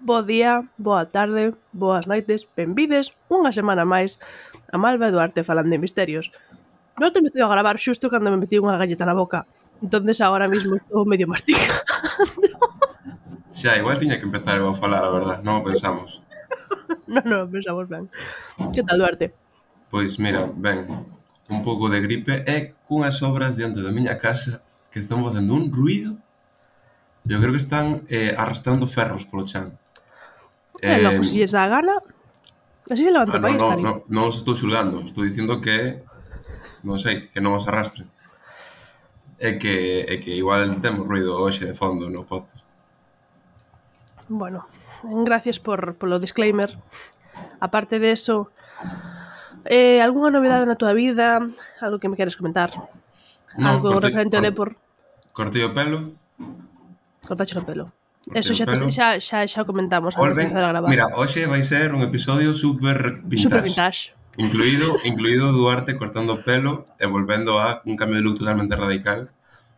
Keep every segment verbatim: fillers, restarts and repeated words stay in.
Bo día, boa tarde, boas noites, benvides unha semana máis a Malva e Duarte falando de misterios. Non te empecé a gravar xusto cando me metí unha galleta na boca, entonces agora mismo estou medio masticando. Xa, igual tiña que empezar eu a falar, a verdad, non o pensamos. Non, non, pensamos ben. Que tal, Duarte? Pois mira, ben, un pouco de gripe e cunhas obras diante da miña casa que están facendo un ruido. Eu creo que están eh, arrastrando ferros polo chan. E logo, Eh, se lles dá a gana, así se levanta ah, o non, país, non, Cari. non, non os estou xulgando, estou dicindo que, non sei, que non os arrastren. É que, é que igual temos ruido hoxe de fondo no podcast. Bueno, gracias por polo disclaimer. Aparte de eso, eh, algunha novedade na tua vida? Algo que me queres comentar? Non, Algo cortei, referente ao cor, Depor? cortei o pelo, Cortache o pelo. cortei Eso o xa, te, pelo. xa, xa, xa o comentamos antes de Volven, empezar a gravar. mira, hoxe vai ser un episodio super vintage. Super vintage. Incluído, incluído Duarte cortando o pelo e volvendo a un cambio de look totalmente radical.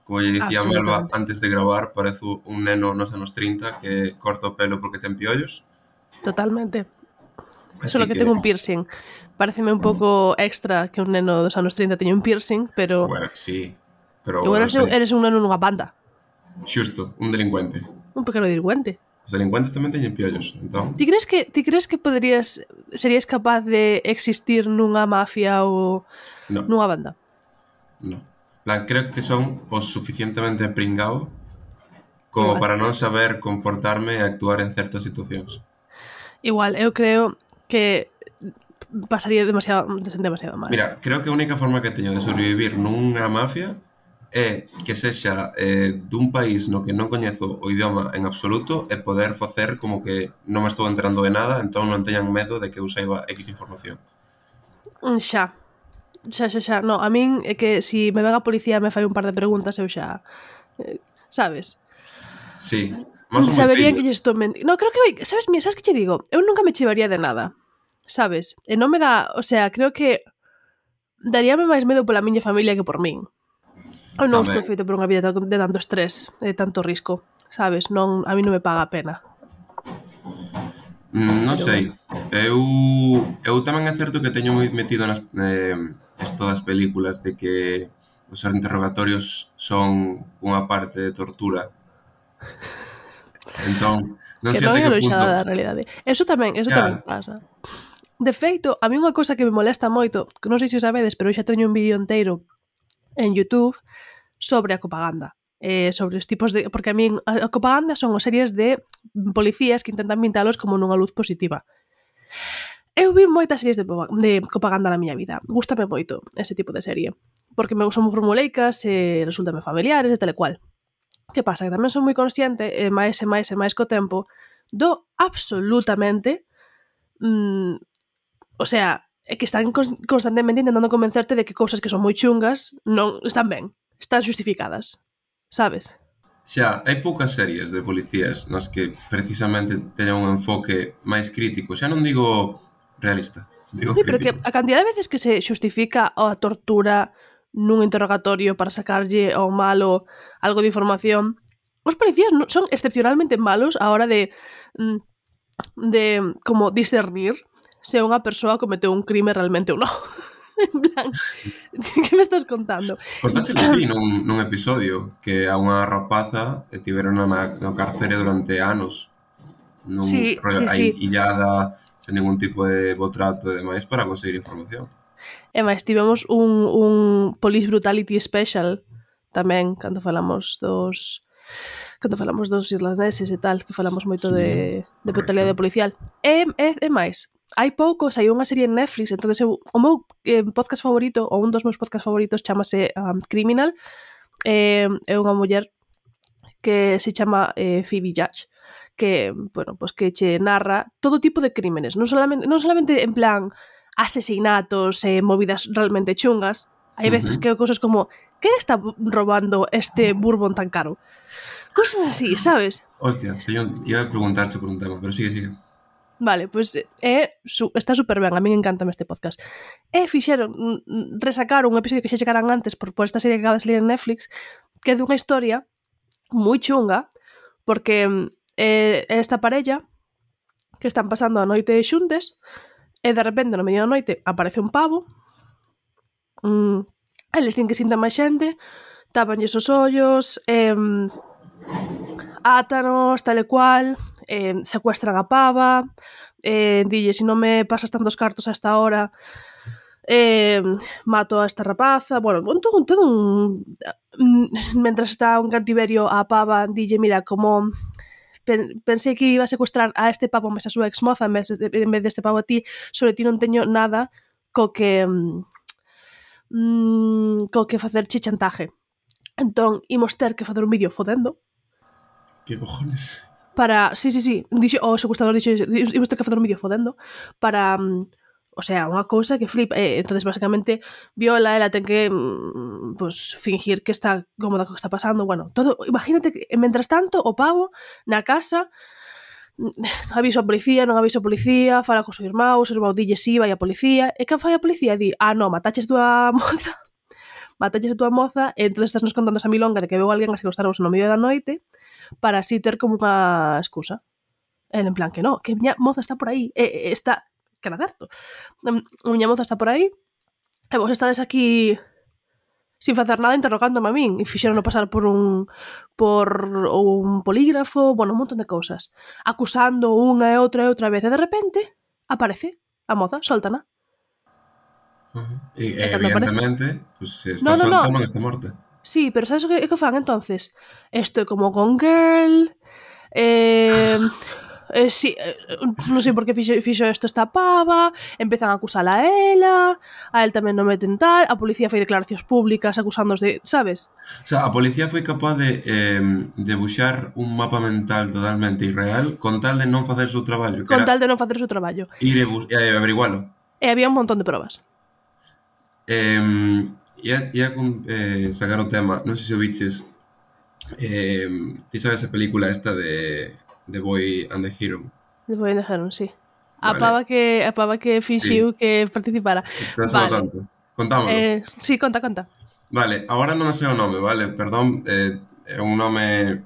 Como lle dicía Melba Absolutamente. antes de gravar, parece un neno nos anos trinta que corta o pelo porque ten piollos. Totalmente. Así Solo que, que, tengo un piercing. Pareceme un pouco extra que un neno dos anos trinta teña un piercing, pero bueno, sí, pero igual os eres, delin- eres un neno nunha banda. xusto, un delincuente. Un pequeno delincuente. Os delincuentes tamén teñen piollos, entón, Ti crees que ti crees que poderías serías capaz de existir nunha mafia ou no, nunha banda? no. Plan, creo que son o suficientemente pringao como Igual. para non saber comportarme e actuar en certas situacións. Igual, eu creo que pasaría demasiado demasiado mal. Mira, creo que a única forma que teño de sobrevivir nunha mafia é que sexa eh, dun país no que non coñezo o idioma en absoluto e poder facer como que non me estou enterando de nada, entón non teñan medo de que eu saiba X información. Mm, Xa. Xa, xa, xa. No, a min é que si me ven a policía e me fai un par de preguntas, eu xa... Eh, sabes? Sí, máis son moi Saberían que pillos. lle estou mentindo. No, creo que... Sabes, mira, sabes que che digo? Eu nunca me chivaría de nada. Sabes? E non me dá... O sea, creo que daríame máis medo pola miña familia que por min. Eu non estou Tamén. feito por unha vida de tanto estrés, de tanto risco. Sabes? Non, a mí non me paga a pena. Mm, non Pero sei. Eu eu tamén é certo que teño moi metido nas eh, esto das películas de que os interrogatorios son unha parte de tortura. Entón, non que sei non até é que aloxada punto. da realidade. Eso tamén, eso Xa, tamén pasa. De feito, a mí unha cosa que me molesta moito, que non sei se o sabedes, pero eu xa teño un vídeo inteiro en YouTube sobre a copaganda. Eh, sobre os tipos de... Porque a min a, a copaganda son as series de policías que intentan pintalos como nunha luz positiva. Eu vi moitas series de, de copaganda na miña vida. Gústame moito ese tipo de serie. Porque me son formuleicas e resultame familiares e tal e cual. Que pasa? Que tamén son moi consciente, e máis e máis e máis co tempo, do absolutamente... Mm, o sea, é que están constantemente intentando convencerte de que cousas que son moi chungas non están ben, están justificadas. Sabes? xa, hai poucas series de policías nas que precisamente teñan un enfoque máis crítico. Xa non digo realista, digo Sí, pero que crítico. a cantidad de veces que se xustifica a tortura nun interrogatorio para sacarlle ao malo algo de información, os policías non son excepcionalmente malos a hora de mm, de como discernir se unha persoa cometeu un crime realmente ou non. En plan, que me estás contando? Contáchelo ti nun, nun episodio que a unha rapaza e tiveron na, no cárcere durante anos nun Sí, rollo sí, aí sí. illada sen ningún tipo de botrato e demais para conseguir información. E máis, tivemos un, un Police Brutality Special tamén, cando falamos dos cando falamos dos irlandeses e tal, que falamos moito Sí, de, de brutalidade correcto. policial. E, e, e máis, hai pouco saiu unha serie en Netflix, entonces eu, o meu eh, podcast favorito, ou un dos meus podcast favoritos, chamase um, Criminal, eh, é unha muller que se chama eh, Phoebe Judge, que, bueno, pues que che narra todo tipo de crímenes, non solamente, non solamente en plan asesinatos e eh, movidas realmente chungas, hai veces Uh-huh. que cosas como quen está robando este bourbon tan caro? Cosas así, sabes? Hostia, teño, iba a preguntarche por un tema, pero sigue, sigue. Vale, pois pues, é, su, está super ben, a min encantame este podcast. E fixeron, mm, resacaron un episodio que xa chegaran antes por, por esta serie que acaba de salir en Netflix, que é dunha historia moi chunga, porque eh, esta parella que están pasando a noite xuntes, e de repente no medio da noite aparece un pavo, mm, eles din que sinten máis xente, tápanlles os ollos, eh, átanos, tal e cual, eh, secuestran a pava, eh, dille, se non me pasas tantos cartos a esta hora, eh, mato a esta rapaza, bueno, un, todo, un, todo un... Mentras está un cantiverio a pava, dille, mira, como pensei que iba a secuestrar a este pavo mes a súa exmoza en vez, de, en vez deste pavo a ti, sobre ti non teño nada co que mm, co que facerche chantaje. Entón, imos ter que facer un vídeo fodendo. Que cojones? Para, sí, sí, sí, dixo, o secuestrador dixo, imos ter que facer un vídeo fodendo para, o sea, unha cousa que flipa. Eh, entonces, basicamente, Viola, ela ten que pues, fingir que está cómoda co que está pasando. Bueno, todo, imagínate que, mentras tanto, o pavo, na casa, aviso a policía, non aviso a policía, fala co seu irmão, o seu irmão dille si, vai a policía, e que fai a policía? Di, ah, non, mataches tua moza, mataches a tua moza, e entón estás nos contando esa milonga de que veu alguén a secuestraros no medio da noite, para así ter como unha excusa. El en plan que no, que miña moza está por aí, e, e está, que era certo, a miña moza está por aí, e vos estades aquí sin facer nada interrogándome a min, e fixeron pasar por un por un polígrafo, bueno, un montón de cousas, acusando unha e outra e outra vez, e de repente aparece a moza, soltana. Uh-huh. E, e evidentemente, pues, se está no, no, solta no. non está morta. Sí, pero sabes o que, que fan entonces? Esto é como con Girl, eh... Eh, sí, eh, non sei por que fixo, fixo isto esta pava, empezan a acusala a ela, a él tamén non meten tal, a policía fai declaracións públicas acusándos de, sabes? O sea, a policía foi capaz de eh, debuxar un mapa mental totalmente irreal con tal de non facer o seu traballo. Con tal de non facer o seu traballo. Ir e, e averigualo. E había un montón de probas. Eh, ia, ia eh, sacar o tema, non sei se o biches, eh, ti sabes a película esta de... The Boy and the Hero. The Boy and the Hero, sí. A vale. pava que a pava que fixiu sí. que participara. Estás vale. tanto. Contámoslo. Eh, sí, conta, conta. Vale, agora non sei o nome, vale? Perdón, eh, é un nome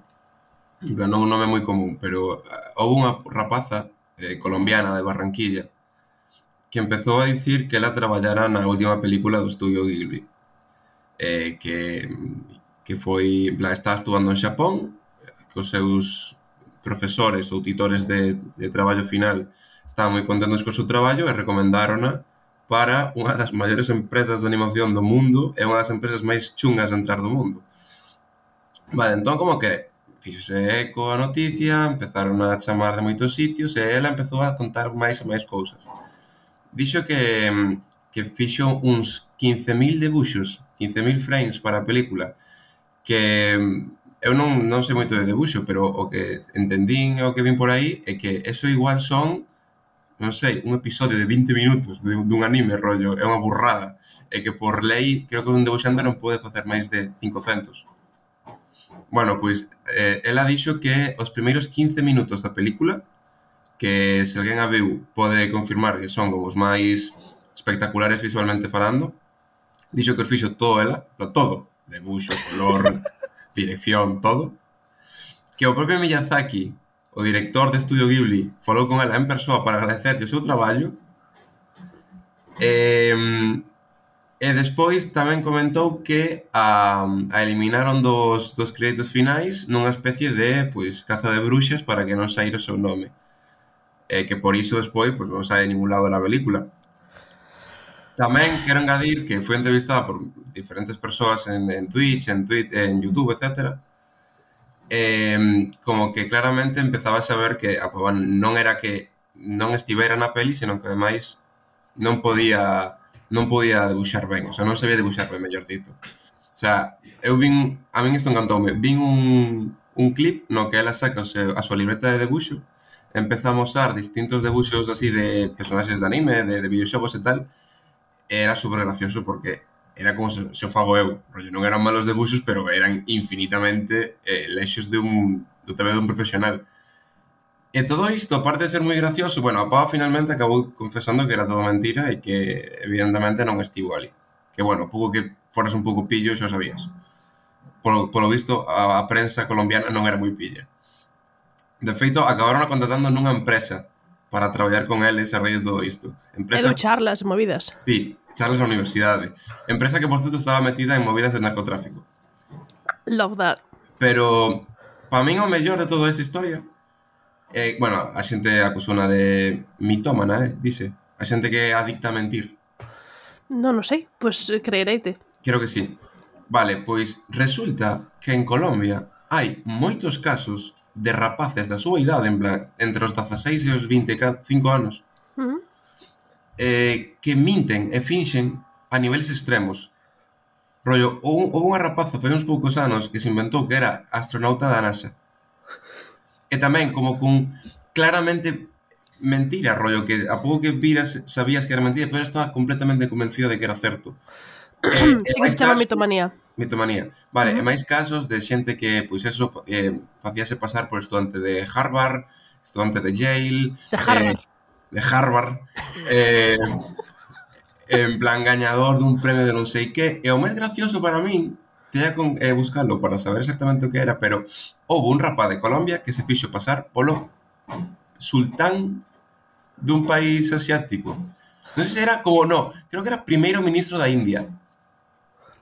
non un nome moi común, pero houve unha rapaza eh, colombiana de Barranquilla que empezou a dicir que ela traballara na última película do estudio Ghibli. Eh, que que foi, en plan, estaba estudando en Xapón, que os seus profesores ou titores de, de traballo final estaban moi contentos co seu traballo e recomendarona para unha das maiores empresas de animación do mundo e unha das empresas máis chungas de entrar do mundo. Vale, entón como que fixose eco a noticia, empezaron a chamar de moitos sitios e ela empezou a contar máis e máis cousas. Dixo que, que fixo uns quince mil debuxos, quince mil frames para a película, que eu non, non sei moito de debuxo, pero o que entendín e o que vin por aí é que eso igual son, non sei, un episodio de vinte minutos de, dun anime, rollo, é unha burrada. E que por lei, creo que un debuxante non pode facer máis de cincocentos. Bueno, pois, eh, ela dixo que os primeiros quince minutos da película, que se alguén a viu pode confirmar que son como os máis espectaculares visualmente falando, dixo que os fixo todo ela, todo, debuxo, color... dirección, todo, que o propio Miyazaki, o director de Estudio Ghibli, falou con ela en persoa para agradecerlle o seu traballo, e, e despois tamén comentou que a, a eliminaron dos, dos créditos finais nunha especie de pois, caza de bruxas para que non saíra o seu nome, e que por iso despois pois, non sai en ningún lado da película. Tamén quero engadir que foi entrevistada por diferentes persoas en, en Twitch, en, Twitter, en YouTube, etcétera. Eh, como que claramente empezaba a saber que a pava non era que non estivera na peli, senón que ademais non podía non podía debuxar ben, o sea, non sabía debuxar ben, mellor dito. O sea, eu vin, a min isto encantoume, vin un, un clip no que ela saca o seu, a súa libreta de debuxo, empeza a mostrar distintos debuxos así de personaxes de anime, de, de videoxogos e tal. Era super gracioso porque era como se, se o fago eu, rollo, non eran malos debuxos, pero eran infinitamente eh, lexos de un, do T V de un profesional. E todo isto, aparte de ser moi gracioso, bueno, a pava finalmente acabou confesando que era todo mentira e que evidentemente non estivo ali. Que bueno, pouco que foras un pouco pillo, xa sabías. Polo, polo visto, a, a prensa colombiana non era moi pilla. De feito, acabaron contratando nunha empresa para traballar con eles a raíz de todo isto. E dou Empresa, charlas e movidas. sí, charlas na universidade. Empresa que, por certo, estaba metida en movidas de narcotráfico. Love that. Pero, para min, o mellor de toda esta historia é, bueno, a xente acusona de mitómana, eh, dice. A xente que é adicta a mentir. Non o sei, pois pues, creereite. Creo que sí. Vale, pois resulta que en Colombia hai moitos casos de rapaces da súa idade, en plan, entre os dezaseis e os vinte e cinco anos, Uh -huh. eh, que minten e finxen a niveles extremos. Rollo, houve unha rapaza fai uns poucos anos que se inventou que era astronauta da NASA. E tamén como con claramente mentira, rollo, que a pouco que viras sabías que era mentira, pero estaba completamente convencido de que era certo. Eh, sí que se chama casos, mitomanía. Mitomanía. Vale, uh -huh. E máis casos de xente que, pois eso, eh, facíase pasar por estudante de Harvard, estudante de Yale... De Harvard. Eh, de Harvard. Eh, en plan, gañador dun premio de non sei que. E o máis gracioso para min, teña con eh, buscarlo para saber exactamente o que era, pero houve un rapaz de Colombia que se fixo pasar polo sultán dun país asiático. Non sei se era como, no, creo que era primeiro ministro da India.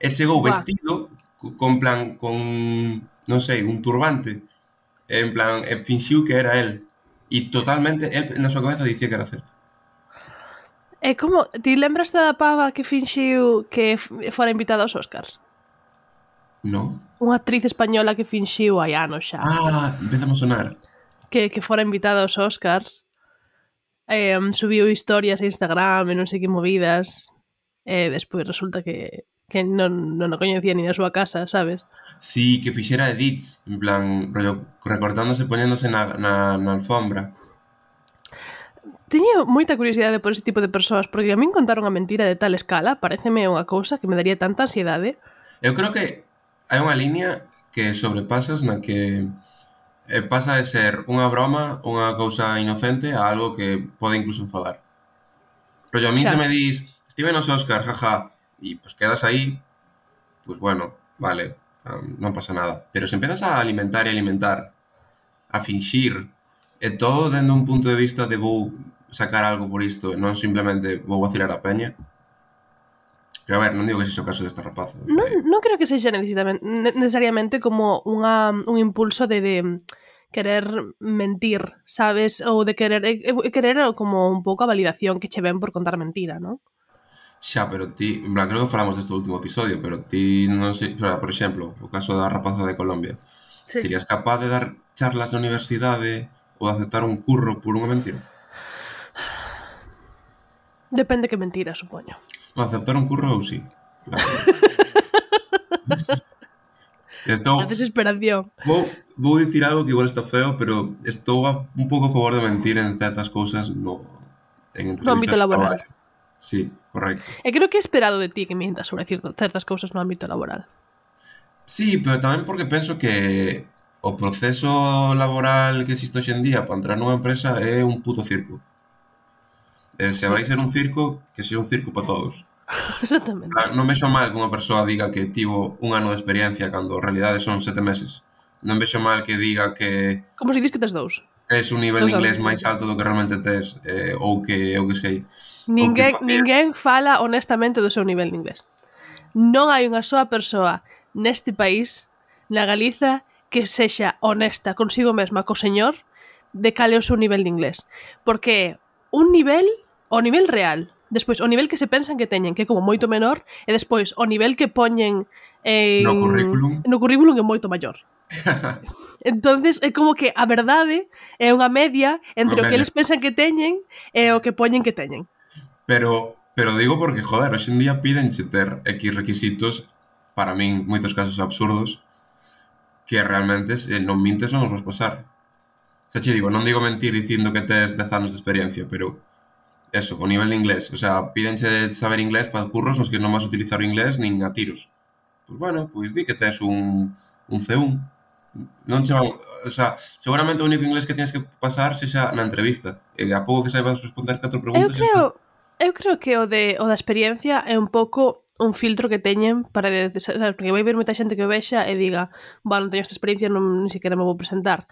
E chegou vestido con plan, con, non sei, un turbante. En plan, e finxiu que era el. E totalmente, el na súa cabeza dicía que era certo. E como, ti lembraste da pava que finxiu que fora invitada aos Oscars? No. Unha actriz española que finxiu hai anos xa. Ah, empezamos a sonar. Que, que fora invitada aos Oscars. Eh, subiu historias a Instagram e non sei que movidas. E despois resulta que que non, non o coñecía ni na súa casa, sabes? Sí, que fixera edits, en plan, rollo, recortándose, poñéndose na, na, na alfombra. Teño moita curiosidade por ese tipo de persoas, porque a min contar unha mentira de tal escala pareceme unha cousa que me daría tanta ansiedade. Eu creo que hai unha liña que sobrepasas na que eh, pasa de ser unha broma, unha cousa inocente, a algo que pode incluso enfadar. Rollo, a mí xa. Se me dis, estive nos Oscar, jaja, e pues quedas aí, pues bueno, vale, um, non pasa nada. Pero se empezas a alimentar e alimentar, a finxir, e todo dende un punto de vista de vou sacar algo por isto, non simplemente vou vacilar a peña. Que a ver, non digo que sexa o caso desta rapaza. Non, non creo que sexa necesariamente como unha, un impulso de, de querer mentir, sabes? Ou de querer, querer como un pouco a validación que che ven por contar mentira, non? Xa, pero ti, en plan, creo que falamos deste último episodio, pero ti non sei, por exemplo, o caso da rapaza de Colombia, sí. Serías capaz de dar charlas na universidade ou de aceptar un curro por unha mentira? Depende que mentira, supoño. No, aceptar un curro ou sí. Claro. Estou, a desesperación. Vou, vou dicir algo que igual está feo, pero estou a, un pouco a favor de mentir en certas cousas no, en entrevistas no ámbito laboral. Sí, correcto. E creo que é esperado de ti que mientas sobre certas cousas no ámbito laboral. Sí, pero tamén porque penso que o proceso laboral que existe hoxe en día para entrar nunha empresa é un puto circo. E se sí. vai ser un circo, que sea un circo para todos. Exactamente. Non vexo mal que unha persoa diga que tivo un ano de experiencia cando en realidade son sete meses. Non vexo mal que diga que... Como se dis que tes dous. Es un nivel de inglés máis alto do que realmente tes, eh, ou que, eu que sei. Ninguén, que ninguén fala honestamente do seu nivel de inglés. Non hai unha soa persoa neste país, na Galiza, que sexa honesta consigo mesma, co señor, de cal é o seu nivel de inglés. Porque un nivel, o nivel real, despois o nivel que se pensan que teñen, que é como moito menor, e despois o nivel que poñen en, no currículum, no currículum é moito maior. Entonces é como que a verdade é unha media entre o que eles pensan que teñen e o que poñen que teñen. Pero, pero digo porque, joder, hoxe en día pídenche ter X requisitos, para min, moitos casos absurdos, que realmente se non mintes non os vas pasar. Xa che digo, non digo mentir dicindo que tes dez anos de experiencia, pero eso, o nivel de inglés. O sea, pídenche saber inglés para curros nos que non vas utilizar o inglés nin a tiros. Pois bueno, pois di que tes un, un C uno. Non che van, o sea, seguramente o único inglés que tienes que pasar sexa na entrevista. E a pouco que saibas responder catro preguntas... Eu creo... Eu creo que o, de, o da experiencia é un pouco un filtro que teñen para de, de, porque vai ver moita xente que o vexa e diga, bueno, non teño esta experiencia, non ni siquiera me vou presentar.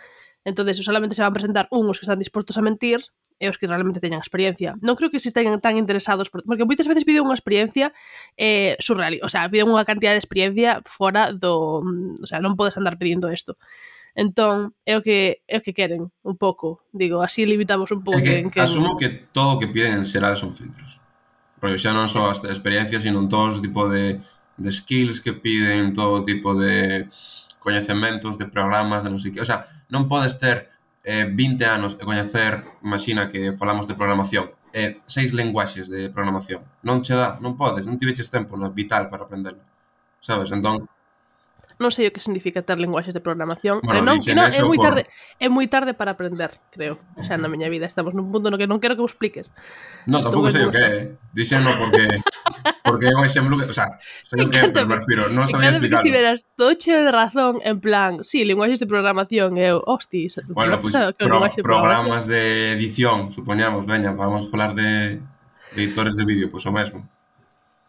Entonces, solamente se van presentar uns que están dispostos a mentir e os que realmente teñan experiencia. Non creo que se teñan tan interesados, por, porque moitas veces piden unha experiencia eh, surreal, o sea, piden unha cantidad de experiencia fora do... O sea, non podes andar pedindo isto. Entón, é o que é o que queren, un pouco. Digo, así limitamos un pouco É que en que... asumo que todo o que piden en xeral son filtros. Porque xa non só as experiencias, sino todo tipo de, de skills que piden, todo tipo de coñecementos, de programas, de non sei que. O sea, non podes ter eh, vinte anos e coñecer, imagina que falamos de programación, eh, seis lenguaxes de programación. Non che dá, non podes, non tiveches tempo no vital para aprendelo. Sabes? Entón, Non sei o que significa ter linguaxes de programación. bueno, Eh, non, dixen non, é eso moi por... tarde, é moi tarde para aprender, creo. Xa na miña vida estamos nun punto no que non quero que vos expliques. No, Estou tampouco ben sei o como que estou. é. Dixeno porque porque é un exemplo que, o sea, sei o que é, pero me Encántame, refiro, non sabía encántame que explicarlo. estiveras todo cheo de razón, en plan, sí, linguaxes de programación, e eu, hostis, Bueno, non pois pensaba que o pro, linguaxe de programación. programas de edición, supoñamos, veña, vamos falar de, de editores de vídeo, pois o mesmo.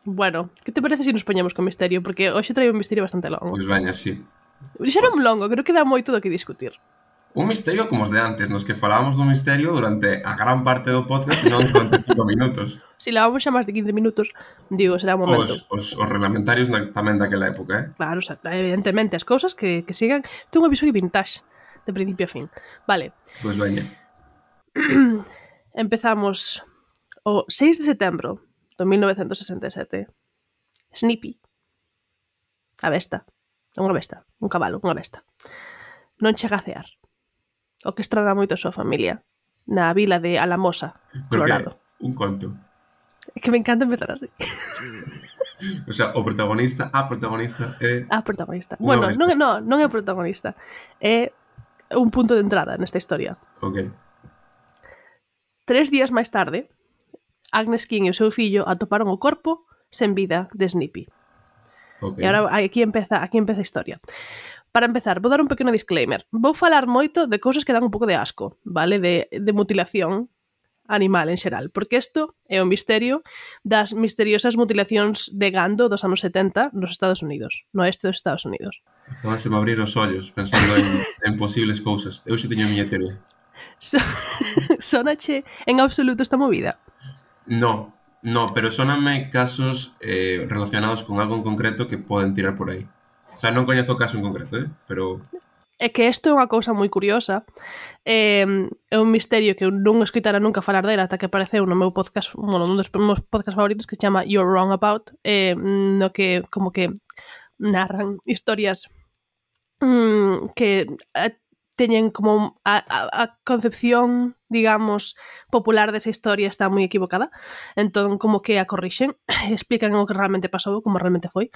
Bueno, que te parece se nos poñemos con misterio? Porque hoxe traio un misterio bastante longo. Pois veña, sí. Xa non longo, creo que dá moito do que discutir. Un misterio como os de antes, nos que falábamos do misterio durante a gran parte do podcast e non durante cinco minutos. Se levamos xa máis de quince minutos, digo, será un momento. Os, os, os reglamentarios na, tamén daquela época, eh? Claro, o sea, evidentemente, as cousas que, que sigan. Ten un episodio vintage, de principio a fin. Vale, Pois veña. empezamos o seis de setembro do mil novecentos sesenta e sete. Snippy, a besta, unha besta, un cabalo, unha besta, non chega a cear, o que estrada moito a súa familia, na vila de Alamosa, Pero Colorado. que un conto. É que me encanta empezar así. O sea, o protagonista, a protagonista é... A protagonista. Unha Bueno, besta. non, non, non é o protagonista. É un punto de entrada nesta historia. Ok. Tres días máis tarde, Agnes King e o seu fillo atoparon o corpo sen vida de Snippy. Ok. E agora aquí empeza, aquí empeza a historia. Para empezar, vou dar un pequeno disclaimer. Vou falar moito de cousas que dan un pouco de asco, vale? De, de mutilación animal en xeral, porque isto é un misterio das misteriosas mutilacións de gando dos anos setenta nos Estados Unidos, no oeste dos Estados Unidos. Acabaste de abrir os ollos pensando en, en posibles cousas. Eu xe teño a miña teoría. So, sonache en absoluto esta movida? No, no, pero soname casos eh, relacionados con algo en concreto que poden tirar por aí. O sea, non coñezo o caso en concreto, eh? Pero... É que isto é unha cousa moi curiosa. É, é un misterio que eu non escoitara nunca falar dela ata que apareceu no meu podcast, bueno, un dos meus podcast favoritos que se chama You're Wrong About, eh, no que como que narran historias mmm, que eh, teñen como a, a, a concepción, digamos, popular desa historia está moi equivocada. Entón, como que a corrixen, explican o que realmente pasou, como realmente foi.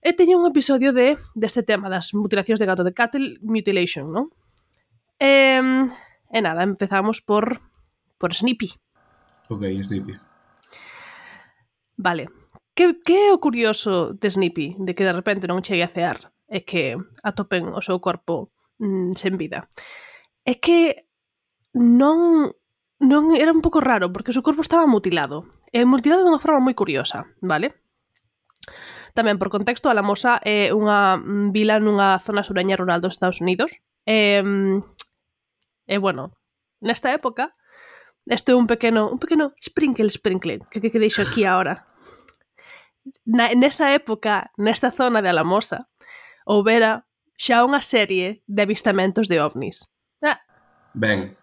E teño un episodio de deste tema das mutilacións de gato, de cattle mutilation, non? E, e nada, empezamos por por Snippy. Ok, Snippy. Vale. Que, que é o curioso de Snippy? De que de repente non chegue a cear e que atopen o seu corpo mm, sen vida. É que non non era un pouco raro, porque o seu corpo estaba mutilado. E mutilado dunha forma moi curiosa, vale? Tamén, por contexto, Alamosa é unha vila nunha zona sureña rural dos Estados Unidos. E, e bueno, nesta época, isto é un pequeno, un pequeno sprinkle, sprinkle, que, que, que deixo aquí agora. Na, nesa época, nesta zona de Alamosa, houbera xa unha serie de avistamentos de ovnis. Ah, Ben,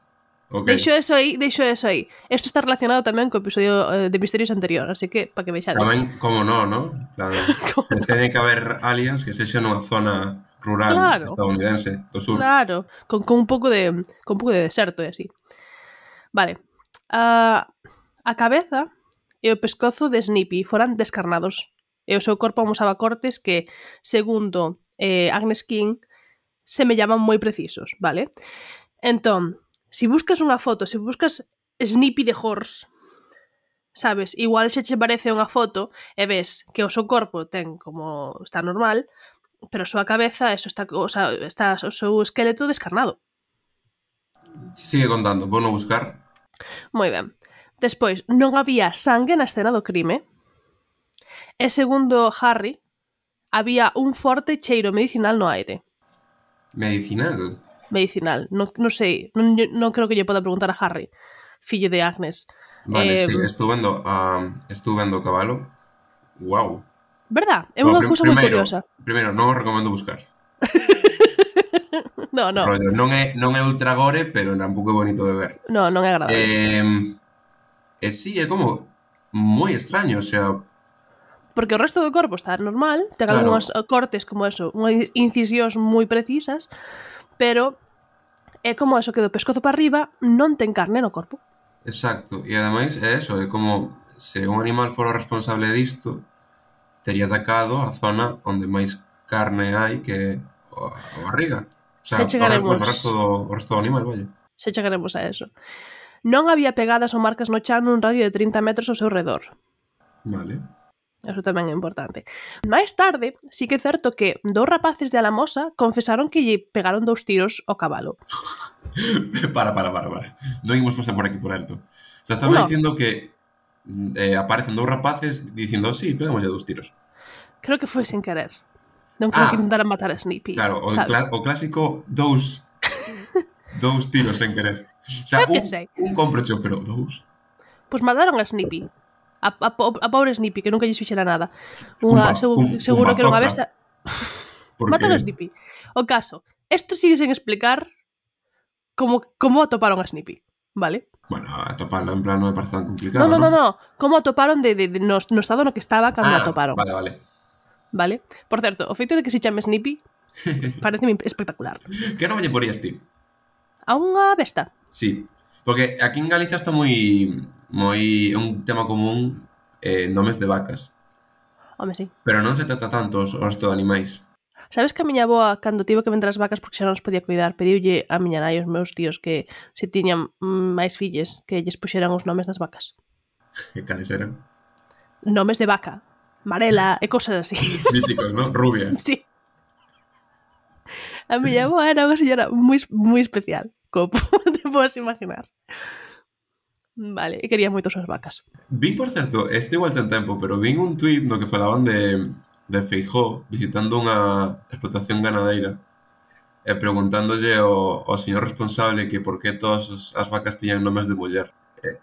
ok. deixo eso aí, deixo eso aí. Isto está relacionado tamén co episodio eh, de Misterios anterior, así que, para que vexades. Tamén, como no, ¿no? Claro, se teñe que haber aliens que sexan nunha zona rural Claro. estadounidense do sur. Claro, con, con un pouco de con un pouco de deserto e así. Vale. Uh, a cabeza e o pescozo de Snippy foran descarnados e o seu corpo amosaba cortes que, segundo eh, Agnes King, semellaban moi precisos, vale? Entón, se si buscas unha foto, se si buscas Snippy de horse, sabes, igual xa che parece unha foto e ves que o seu corpo ten como está normal, pero a súa cabeza, eso está, o sea, está o seu esqueleto descarnado. Sigue contando, vou no buscar. Moi ben. Despois, non había sangue na escena do crime. E segundo Harry, había un forte cheiro medicinal no aire. Medicinal? Medicinal. Non, non sei, non, non creo que lle poda preguntar a Harry. fillo de Agnes. Vale, Eh, sí, estuve vendo a estuve vendo o cabalo. Wow. verdad? É Bueno, unha prim, cousa moi primeiro, curiosa. primeiro non o recomendo buscar. No, no, Rollo, non é non é ultra gore, pero tampouco é bonito de ver. no, non é agradable. Eh, e sí, é como moi extraño, o sea, Porque o resto do corpo está normal, ten algunhas claro, cortes como eso, unhas incisións moi precisas, pero é como eso que do pescozo para arriba non ten carne no corpo. exacto. E ademais é eso, é como se un animal fora responsable disto, tería atacado a zona onde máis carne hai que a barriga. O sea, Se o resto, bueno, chegaremos, o resto do, o resto do animal, vaya. se chegaremos a eso. Non había pegadas ou marcas no chan nun radio de trinta metros ao seu redor. Vale. Eso tamén é importante. Máis tarde, sí que é certo que dous rapaces de Alamosa confesaron que lle pegaron dous tiros ao cabalo. para, para, para, para. Non imos pasar por aquí por alto. O sea, estaba No, dicindo que eh, aparecen dous rapaces dicindo, sí, pegamos ya dous tiros. creo que foi sen querer. Non creo que Ah, intentaran matar a Snippy, claro, o, sabes? cla- o clásico dous dous tiros sen querer. O sea, Eu que un, sei. un comprocho, pero dous. Pois mataron a Snippy. A, a, a pobre Snippy, que nunca lle fixera nada. Cun, Unha, ba, seguro, cun, cun seguro que era unha bazooka. besta. Porque, Mataron a Snippy. O caso, isto sigue sen explicar como, como atoparon a Snippy, vale? bueno, atoparla en plan non me parece tan No, complicado, no, no, non? no. Como atoparon de, de, de no, no estado no que estaba cando Ah, atoparon, vale, vale. vale? Por certo, o feito de que se chame Snippy parece espectacular. Que non me lle porías ti? A unha besta. Sí, porque aquí en Galicia está moi moi é un tema común eh, nomes de vacas, Home, sí. pero non se trata tanto os, os de animais. Sabes que a miña avoa, cando tivo que vender as vacas porque xa non os podía cuidar, pediulle a miña nai e os meus tíos que se tiñan mm, máis filles que lles puxeran os nomes das vacas. Que cales eran? Nomes de vaca, Marela e cosas así. Míticos, ¿no? Rubia. Sí. A miña avoa era unha señora moi, moi especial, como te podes imaginar. Vale, e quería moito as súas vacas. Vin, por certo, este igual ten tempo, pero vin un tuit no que falaban de, de Feijóo visitando unha explotación ganadeira e preguntándolle ao, ao señor responsable que por que todas as vacas tiñan nomes de muller. E,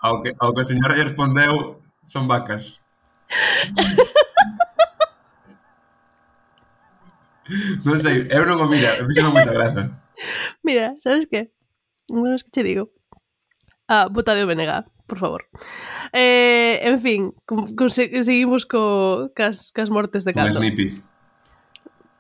ao, que, ao que o señor lle respondeu, son vacas. Non sei, eu non o mira, me fixo moita graza. Mira, sabes que? Bueno, es que che digo. Ah, bota de O B N G, por favor. Eh, en fin, con, con, seguimos co, cas, cas mortes de Con cando. Snippy.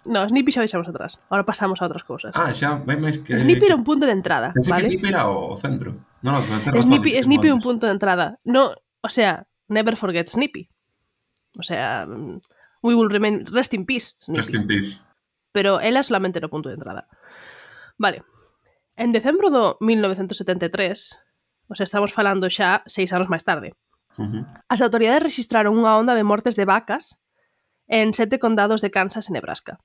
No, Snippy xa deixamos atrás. Ahora pasamos a outras cousas. Ah, xa, vai máis que... Snippy era un punto de entrada, Pensei vale? que Snippy era o centro. Non, non, ten razón. Snippy, dices Snippy é un antes. punto de entrada. No, o sea, never forget Snippy. O sea, we will remain, rest in peace, Snippy. Rest in peace. Pero ela solamente era o punto de entrada. Vale. En decembro do mil novecentos setenta e tres, o sea, estamos falando xa seis anos máis tarde, Uh-huh. as autoridades registraron unha onda de mortes de vacas en sete condados de Kansas e Nebraska.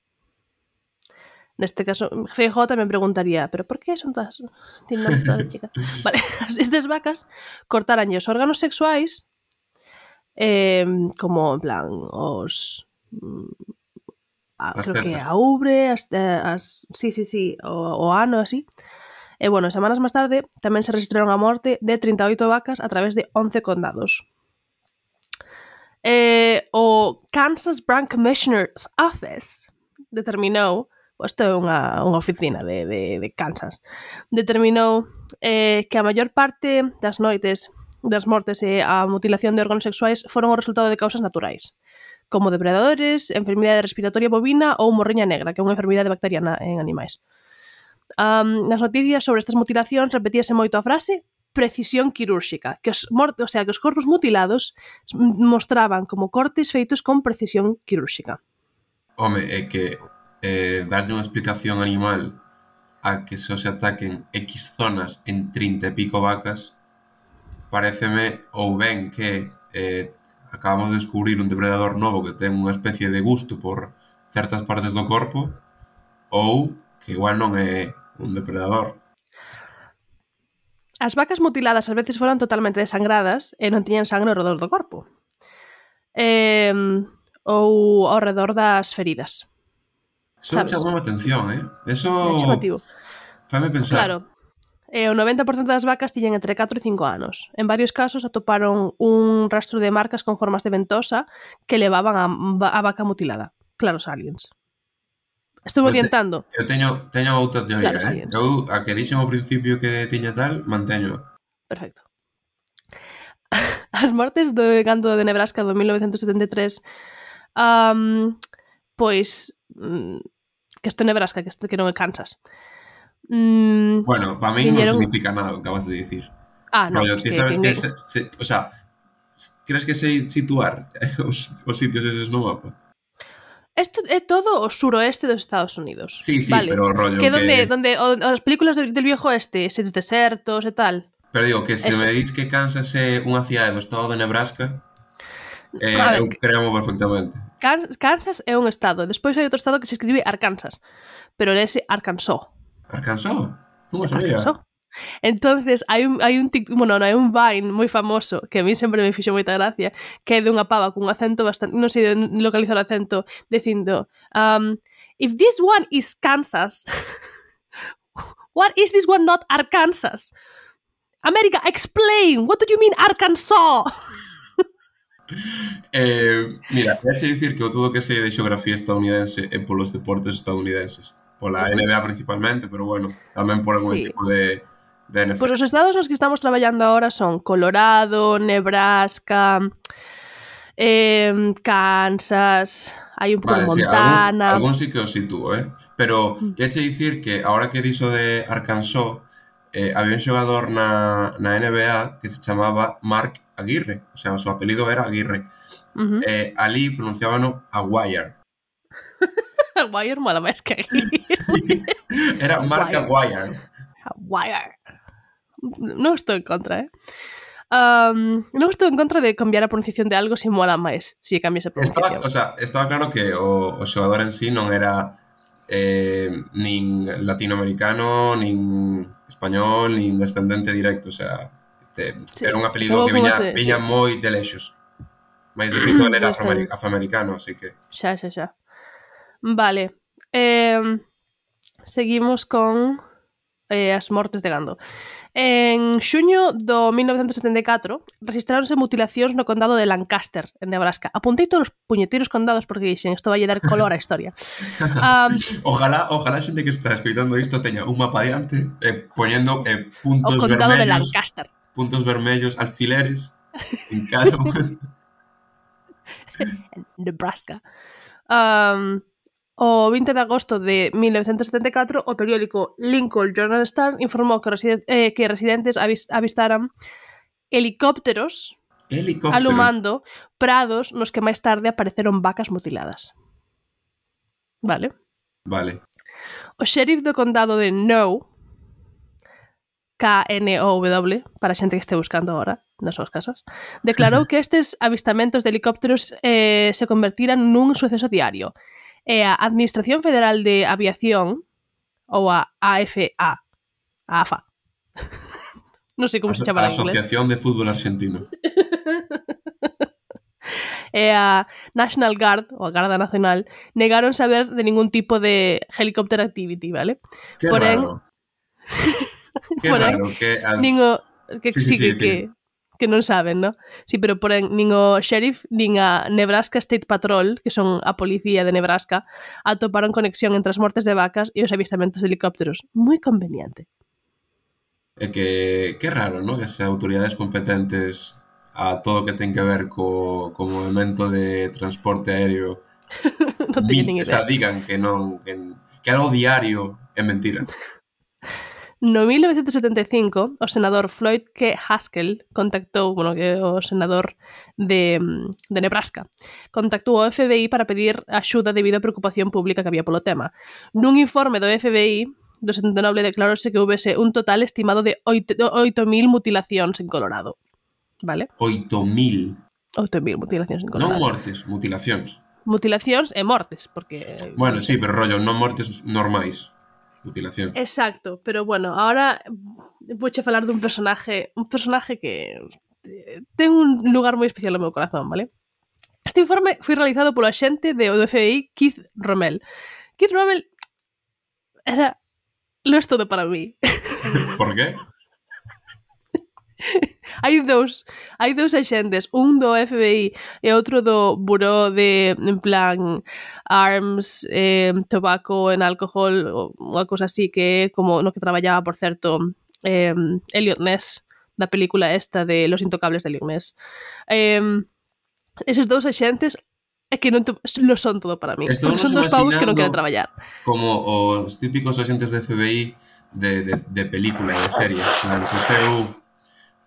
Neste caso, Feijóo tamén preguntaría, pero por que son todas... Tienen todas chicas. Vale, estas vacas cortaranlle os órganos sexuais eh, como, en plan, os... A, As creo que tetas. a ubre, as, as, sí, sí, sí, o, o ano, así. E, bueno, semanas máis tarde tamén se registraron a morte de trinta e oito vacas a través de once condados. Eh, o Kansas Brand Commissioner's Office determinou, isto é unha, unha oficina de, de, de Kansas, determinou eh, que a maior parte das noites das mortes e a mutilación de órganos sexuais foron o resultado de causas naturais, como depredadores, enfermidade respiratoria bovina ou morriña negra, que é unha enfermidade bacteriana en animais. Um, nas noticias sobre estas mutilacións repetíase moito a frase precisión quirúrxica, que os mortos, o sea, que os corpos mutilados mostraban como cortes feitos con precisión quirúrxica. Home, é que eh, darlle unha explicación animal a que só se ataquen X zonas en trinta e pico vacas paréceme ou ben que eh, acabamos de descubrir un depredador novo que ten unha especie de gusto por certas partes do corpo ou que igual non é un depredador. As vacas mutiladas ás veces foran totalmente desangradas e non tiñan sangre ao redor do corpo. Eh, ou ao redor das feridas. Eso Sabes? chamou a atención, eh? Eso É chamativo. faime pensar. Claro. E o noventa por cento das vacas tiñan entre catro e cinco anos. En varios casos atoparon un rastro de marcas con formas de ventosa que levaban a, a vaca mutilada. Claros aliens. Estou Eu, te, orientando. eu teño, teño outra teoría, Claros eh? aliens. Eu, a que dixen ao principio que tiña tal, manteño. Perfecto. As mortes do gando de Nebraska do mil novecentos setenta e tres um, pois mm, que isto é Nebraska, que, isto, que non é Kansas. Mm, Bueno, para mí viñeron... non significa nada o que acabas de dicir. Ah, no, Rollo, es ti que sabes que, ninguén... se, se, o sea, crees que sei situar os, os sitios eses no mapa? Isto é todo o suroeste dos Estados Unidos. Sí, sí, vale? pero rollo que que... donde, donde o, as películas del, del viejo oeste, eses desertos e tal. Pero digo, que se Eso. me dis que Kansas é unha cidade do estado de Nebraska, eh, A ver, eu creo perfectamente. Kansas é un estado. Despois hai outro estado que se escribe Arkansas. Pero ese Arkansas. Arkansas? Non o sabía. Arkansas. Entonces hai un, hai un bueno, non, hai un Vine moi famoso que a mí sempre me fixo moita gracia, que é de unha pava cun acento bastante, non sei localizar o acento, dicindo um, if this one is Kansas, what is this one not Arkansas? America, explain, what do you mean Arkansas? eh, mira, voy a dicir que o todo que sei de xeografía estadounidense é polos deportes estadounidenses, pola uh-huh. N B A principalmente, pero bueno, tamén por algún sí. equipo de de N F L. Pois os estados nos que estamos traballando ahora son Colorado, Nebraska, eh, Kansas, hai un pouco vale, de Montana... Sí, algún, algún sí que os sitúo, eh? Pero queche dicir que ahora que dixo de Arkansas, eh, había un xogador na, na N B A que se chamaba Mark Aguirre, o sea, o seu apelido era Aguirre. Uh-huh. Eh, ali pronunciábano Aguirre. Aguirre mola máis que Aguirre. Sí, era Mark Aguirre. Aguirre. Non estou en contra, eh? Um, non estou en contra de cambiar a pronunciación de algo se mola máis, se si cambias a pronunciación. Estaba, o sea, estaba claro que o, o xogador en sí non era eh, nin latinoamericano, nin español, nin descendente directo, o sea, te, sí. Era un apelido que viña, se, viña sí. moi de lexos. Mais de feito era afroamericano, así que... Xa, xa, xa. Vale. Eh, seguimos con eh, as mortes de gando. En xuño do mil novecentos setenta e catro registraronse mutilacións no condado de Lancaster, en Nebraska. Apuntei todos os puñeteiros condados porque dixen isto vai dar color á historia. Um, ojalá, ojalá a xente que está escoitando isto teña un mapa diante eh, poñendo eh, puntos o condado vermellos, de Lancaster. Puntos vermellos, alfileres en cada Nebraska. Um, O vinte de agosto de mil novecentos setenta e catro, o periódico Lincoln Journal Star informou que, residen- eh, que residentes avis- avistaran helicópteros, helicópteros alumando prados nos que máis tarde apareceron vacas mutiladas. Vale? Vale. O xerif do condado de Know, K N O W, para a xente que este buscando ahora nas súas casas, declarou que estes avistamentos de helicópteros eh, se convertiran nun suceso diario. E a Administración Federal de Aviación, ou a A F A, a AFA, non sei como se chama en inglés. Asociación de Fútbol Argentino. E a National Guard, ou a Garda Nacional, negaron saber de ningún tipo de helicopter activity, vale? Que Porén, raro. Que porén, raro, que as... Ningo, que sí, sí, sí, que, sí, que, sí. que non saben, ¿no? Sí, pero porén, nin o sheriff, nin a Nebraska State Patrol, que son a policía de Nebraska, atoparon conexión entre as mortes de vacas e os avistamentos de helicópteros. Moi conveniente. É que, que raro, ¿no? Que as autoridades competentes a todo que ten que ver co, co movimento de transporte aéreo non teño nin idea. O sea, digan que non que, que algo diario é mentira. No mil novecentos setenta e cinco, o senador Floyd K. Haskell contactou, bueno, que é o senador de, de Nebraska, contactou o F B I para pedir axuda debido á preocupación pública que había polo tema. Nun informe do F B I do setenta e nove declarouse que houvese un total estimado de oito mil mutilacións en Colorado. Vale? oito mil? oito mil mutilacións en Colorado. Non mortes, mutilacións. Mutilacións e mortes, porque... Bueno, sí, pero rollo, non mortes normais. Mutilacións. Exacto, pero bueno, ahora vouche falar dun personaje, un personaje que ten un lugar moi especial no meu corazón, vale? Este informe foi realizado polo axente do F B I Keith Rommel. Keith Rommel era lo es todo para mí. Por qué? hai dous, hai dous axentes, un do F B I e outro do Buró de, en plan, Arms, eh, Tobacco and Alcohol, unha cousa así, que é como no que traballaba, por certo, eh, Elliot Ness, da película esta de Los Intocables de Elliot Ness. Eh, eses dous axentes é que non te, lo son todo para mí, Estou porque nos son dous pavos que non queren imaginando traballar. como os típicos axentes de F B I de, de, de película, de serie, plan, co seu,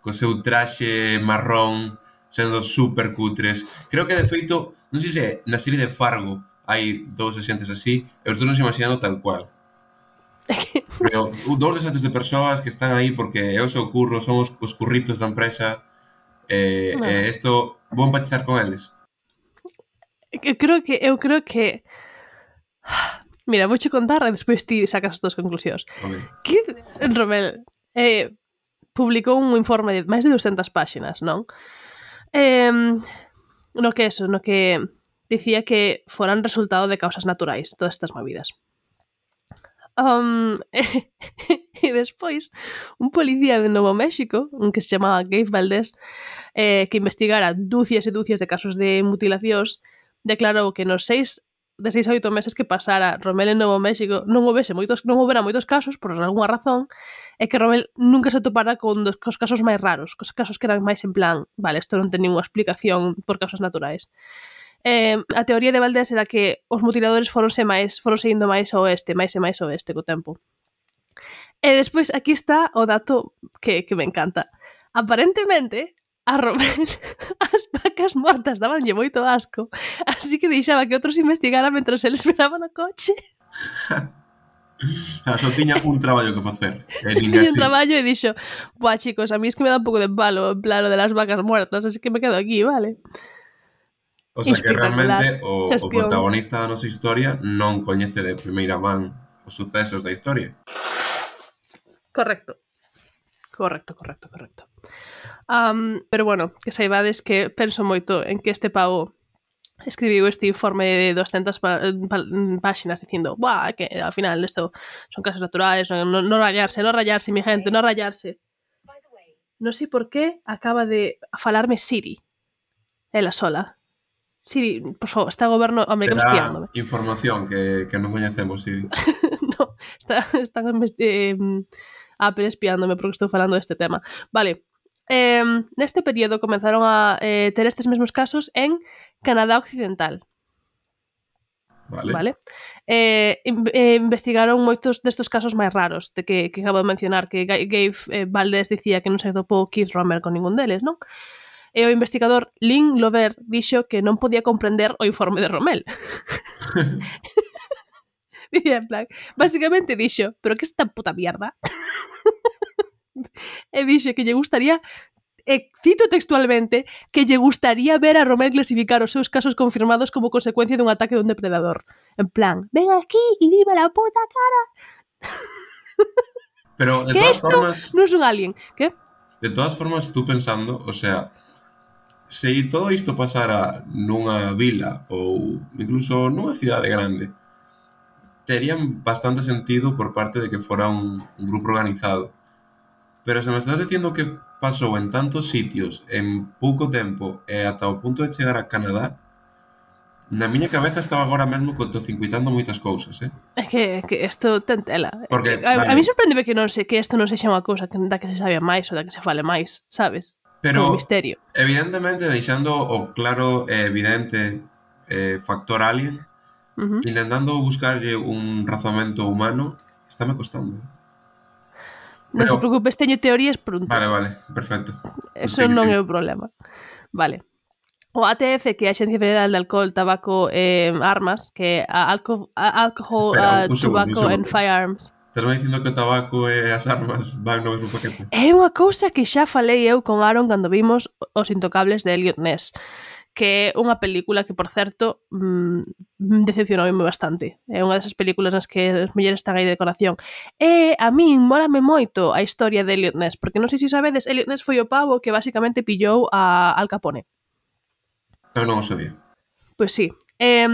co seu traxe marrón, sendo super cutres. Creo que, de feito, non sei se na serie de Fargo hai dous axentes así, e os estou nos imaginando tal cual. Pero dous desastres de persoas que están aí porque é o seu curro, son os, os curritos da empresa, e No. eh, isto vou empatizar con eles. Eu creo que, eu creo que mira, vouche contar e despois ti sacas as túas conclusións. Okay. Que Romel eh, publicou un informe de máis de doscientas páxinas, non? Eh, no que eso, no que dicía que foran resultado de causas naturais todas estas movidas. Um, e, e despois, un policía de Novo México, un que se chamaba Gabe Valdés, eh, que investigara dúcias e dúcias de casos de mutilacións, declarou que nos seis de seis a oito meses que pasara Romel en Novo México non houvese moitos, non houbera moitos casos por algunha razón, e que Romel nunca se topara con dos, cos casos máis raros, cos casos que eran máis en plan, vale, isto non ten ninguna explicación por causas naturais. Eh, a teoría de Valdés era que os mutiladores foronse máis, foronse indo máis ao oeste, máis e máis ao oeste co tempo. E despois aquí está o dato que, que me encanta. Aparentemente, a Romel as vacas mortas dabanlle moito asco, así que deixaba que outros investigaran mentras ele esperaba no coche. Só tiña un traballo que facer. E Se tiña un traballo e dixo, buah, chicos, a mí es que me dá un pouco de palo en plan lo de las vacas muertas, así que me quedo aquí, vale? O sea que realmente o, o Gestión. protagonista da nosa historia non coñece de primeira man os sucesos da historia. Correcto. Correcto, correcto, correcto. Um, pero bueno, que saibades que penso moito en que este pavo escribiu este informe de doscientas pá páxinas dicindo, buah, que ao final isto son casos naturales, non no, no rayarse, non rayarse, mi gente, non rayarse. Non sei por qué acaba de falarme Siri. Ela sola. Siri, por favor, está o goberno americano espiándome. Información que, que non coñecemos, Siri. No, está, están eh, Apple espiándome porque estou falando deste tema. Vale. Eh, neste período comenzaron a eh, ter estes mesmos casos en Canadá Occidental. Vale. Vale? Eh, eh, investigaron moitos destes casos máis raros de que, que acabo de mencionar, que Gabe eh, Valdés dicía que non se topou Keith Romer con ningún deles, non? E o investigador Lynn Lover dixo que non podía comprender o informe de Romel. Dicía en plan, básicamente dixo, pero que esta puta mierda? E dixo que lle gustaría, e cito textualmente, que lle gustaría ver a Romel clasificar os seus casos confirmados como consecuencia dun ataque dun depredador. En plan, ven aquí y dime la puta cara. Pero de que todas esto formas... non es un alien. Que? De todas formas, tú pensando, o sea, se todo isto pasara nunha vila ou incluso nunha cidade grande, terían bastante sentido por parte de que fora un, un grupo organizado. Pero se me estás dicindo que pasou en tantos sitios en pouco tempo e ata o punto de chegar a Canadá, na miña cabeza estaba agora mesmo cortocircuitando moitas cousas, eh? É que, que isto ten tela. Porque, a, vale. a mí sorprendeme que non sei que isto non sexa unha cousa que, da que se sabe máis ou da que se fale máis, sabes? Pero, como misterio. Evidentemente, deixando o claro e evidente eh, factor alien, uh-huh. Intentando buscarlle un razonamento humano, estáme costando. Non Pero... te preocupes, teño teorías pronto. Vale, vale, perfecto. Eso sí, non sí. é o problema. Vale. O A T F, que é a Axencia Federal de Alcohol, Tabaco e eh, Armas, que é a Alco Alcohol, Espera, uh, un segundo, Tobacco un and Firearms. Estás me dicindo que o tabaco e as armas van no mesmo paquete? É unha cousa que xa falei eu con Aaron cando vimos Os Intocables de Elliot Ness, que é unha película que, por certo, mmm, decepcionoume bastante. É unha desas películas nas que as mulleres están aí de decoración. E a min mólame moito a historia de Elliot Ness, porque non sei se sabedes, Elliot Ness foi o pavo que basicamente pillou a Al Capone. Eu non o sabía. Pois sí. Eh,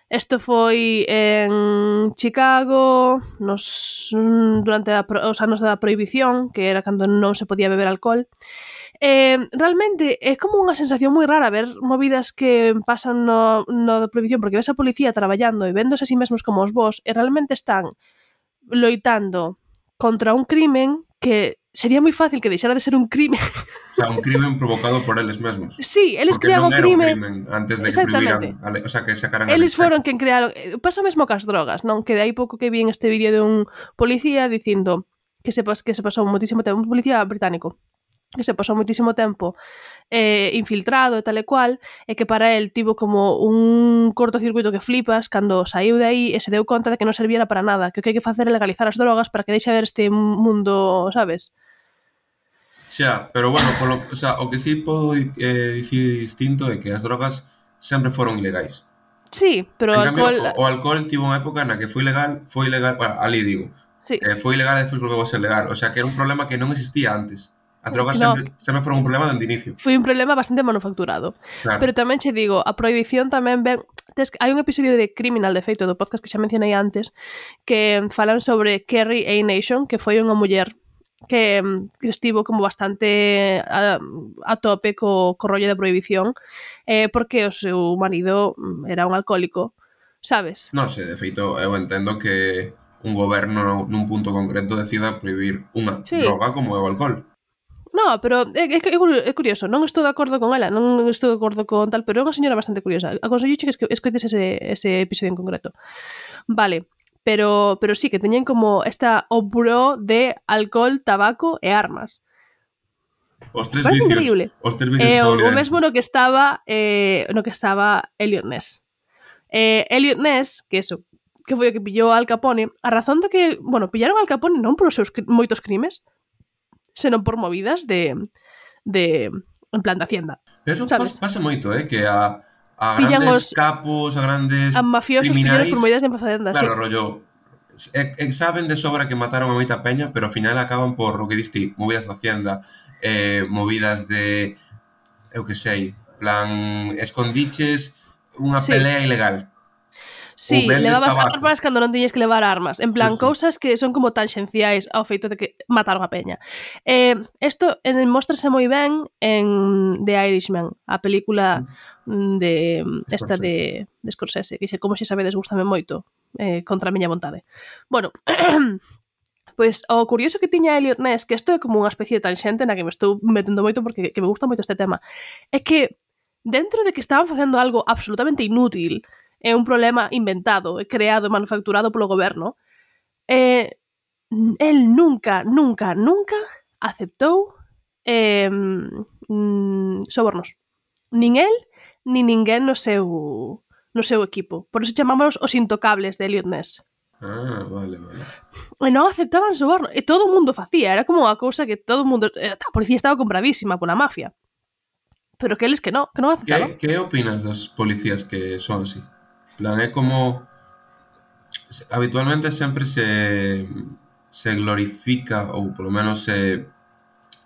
Isto foi en Chicago nos, durante a, os anos da prohibición, que era cando non se podía beber alcohol. Eh, realmente é como unha sensación moi rara ver movidas que pasan no, no da prohibición, porque ves a policía traballando e véndose a sí mesmos como os vos, e realmente están loitando contra un crimen que sería moi fácil que deixara de ser un crimen. O sea, un crimen provocado por eles mesmos. Sí, eles Porque crean non o era un crime. crimen antes de que Exactamente. prohibiran, a le- o sea, que sacaran a Eles lei foron seca. quen crearon. Pasa o mesmo cas drogas, non? Que de aí pouco que vi en este vídeo de un policía dicindo que se, pas, que se pasou moitísimo tempo, un policía británico, que se pasou moitísimo tempo eh, infiltrado e tal e cual, e que para el tivo como un cortocircuito que flipas cando saiu de aí e se deu conta de que non serviera para nada, que o que hai que facer é legalizar as drogas para que deixe ver este mundo, sabes? Xa, pero bueno, polo, o sea, o que sí podo eh, dicir distinto é que as drogas sempre foron ilegais. Sí, pero o En cambio, alcohol... o, o alcohol tivo unha época na que foi legal, foi legal, bueno, ali digo, Sí, eh, foi legal e despois volveu a ser legal. O sea, que era un problema que non existía antes. As que drogas no, sempre, sempre foron un problema dende inicio. foi un problema bastante manufacturado. Claro. Pero tamén che digo, a prohibición tamén ven... Tes, hai un episodio de Criminal, de feito, do podcast que xa mencionei antes, que falan sobre Kerry A. Nation, que foi unha muller que, que estivo como bastante a, a tope co, co rollo de prohibición, eh, porque o seu marido era un alcohólico, sabes? Non sei, de feito, eu entendo que un goberno nun punto concreto decida prohibir unha Sí. droga como é o alcohol. No, pero é, é, é curioso, non estou de acordo con ela, non estou de acordo con tal, pero é unha señora bastante curiosa. Aconsello que escoites ese, ese episodio en concreto. Vale, pero, pero sí, que teñen como esta obró de alcohol, tabaco e armas. Os tres Parece vicios, increíble. os tres vicios Eh, o, o estadounidenses. mesmo no que estaba eh, no que estaba Elliot Ness. Eh, Elliot Ness, que eso, que foi o que pillou a Al Capone, a razón de que, bueno, pillaron a Al Capone non polos seus moitos crimes, senón por movidas de, de en plan de Hacienda. Eso Sabes? pasa moito, eh, que a, a Pillan grandes os capos, a grandes a mafiosos pillaros criminais, por movidas de Hacienda, claro, sí. rollo, e, e saben de sobra que mataron a moita peña, pero ao final acaban por o que diste, movidas de Hacienda, eh, movidas de, eu que sei, plan, escondiches unha Sí. pelea ilegal. Sí, vendes levabas tabaco. armas cando non tiñes que levar armas. En plan, Justo. cousas que son como tangenciais ao feito de que mataron a peña. Eh, esto eh, móstrase moi ben en The Irishman, a película de esta de, de Scorsese, que xe, como xe sabedes, gustame moito, eh, contra a miña vontade. Bueno, pois o curioso que tiña Elliot Ness, que isto é como unha especie de tanxente na que me estou metendo moito porque que me gusta moito este tema, é que dentro de que estaban facendo algo absolutamente inútil, é un problema inventado, creado e manufacturado polo goberno, eh, el nunca, nunca, nunca aceptou eh, mm, sobornos. Nin el, nin ninguén no seu no seu equipo. Por eso chamámonos os intocables de Elliot Ness. Ah, vale, vale. E non aceptaban soborno. E todo o mundo facía. Era como unha cousa que todo o mundo... A policía estaba compradísima pola mafia. Pero que eles que non, que non aceptaban. Que, que opinas dos policías que son así? Plan, é como... Habitualmente sempre se, se glorifica, ou polo menos se,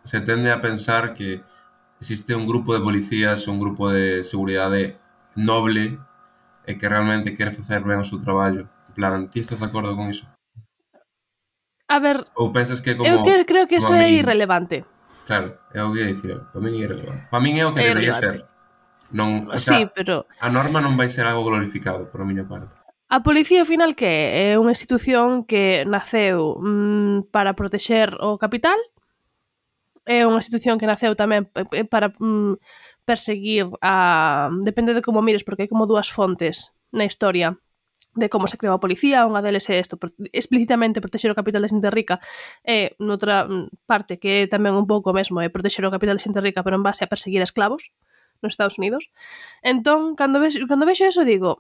se tende a pensar que existe un grupo de policías, un grupo de seguridade noble e que realmente quere facer ben o seu traballo. En plan, ti estás de acordo con iso? A ver, Ou pensas que é como... eu que, creo que como eso a é min? irrelevante. Claro, é o que ia dicir. Para min é irrelevante. Para min é o que É debería irrelevante. ser. Non, o Sí, sea, pero a norma non vai ser algo glorificado, por a miña parte. a policía, ao final, que é? É unha institución que naceu mm, para protexer o capital, é unha institución que naceu tamén para mm, perseguir a... Depende de como mires, porque hai como dúas fontes na historia de como se creou a policía. Unha deles é isto, explícitamente protexer o capital da xente rica, e noutra parte que é tamén un pouco mesmo é protexer o capital da xente rica, pero en base a perseguir a esclavos nos Estados Unidos. Entón, cando vexo, cando vexo eso, digo...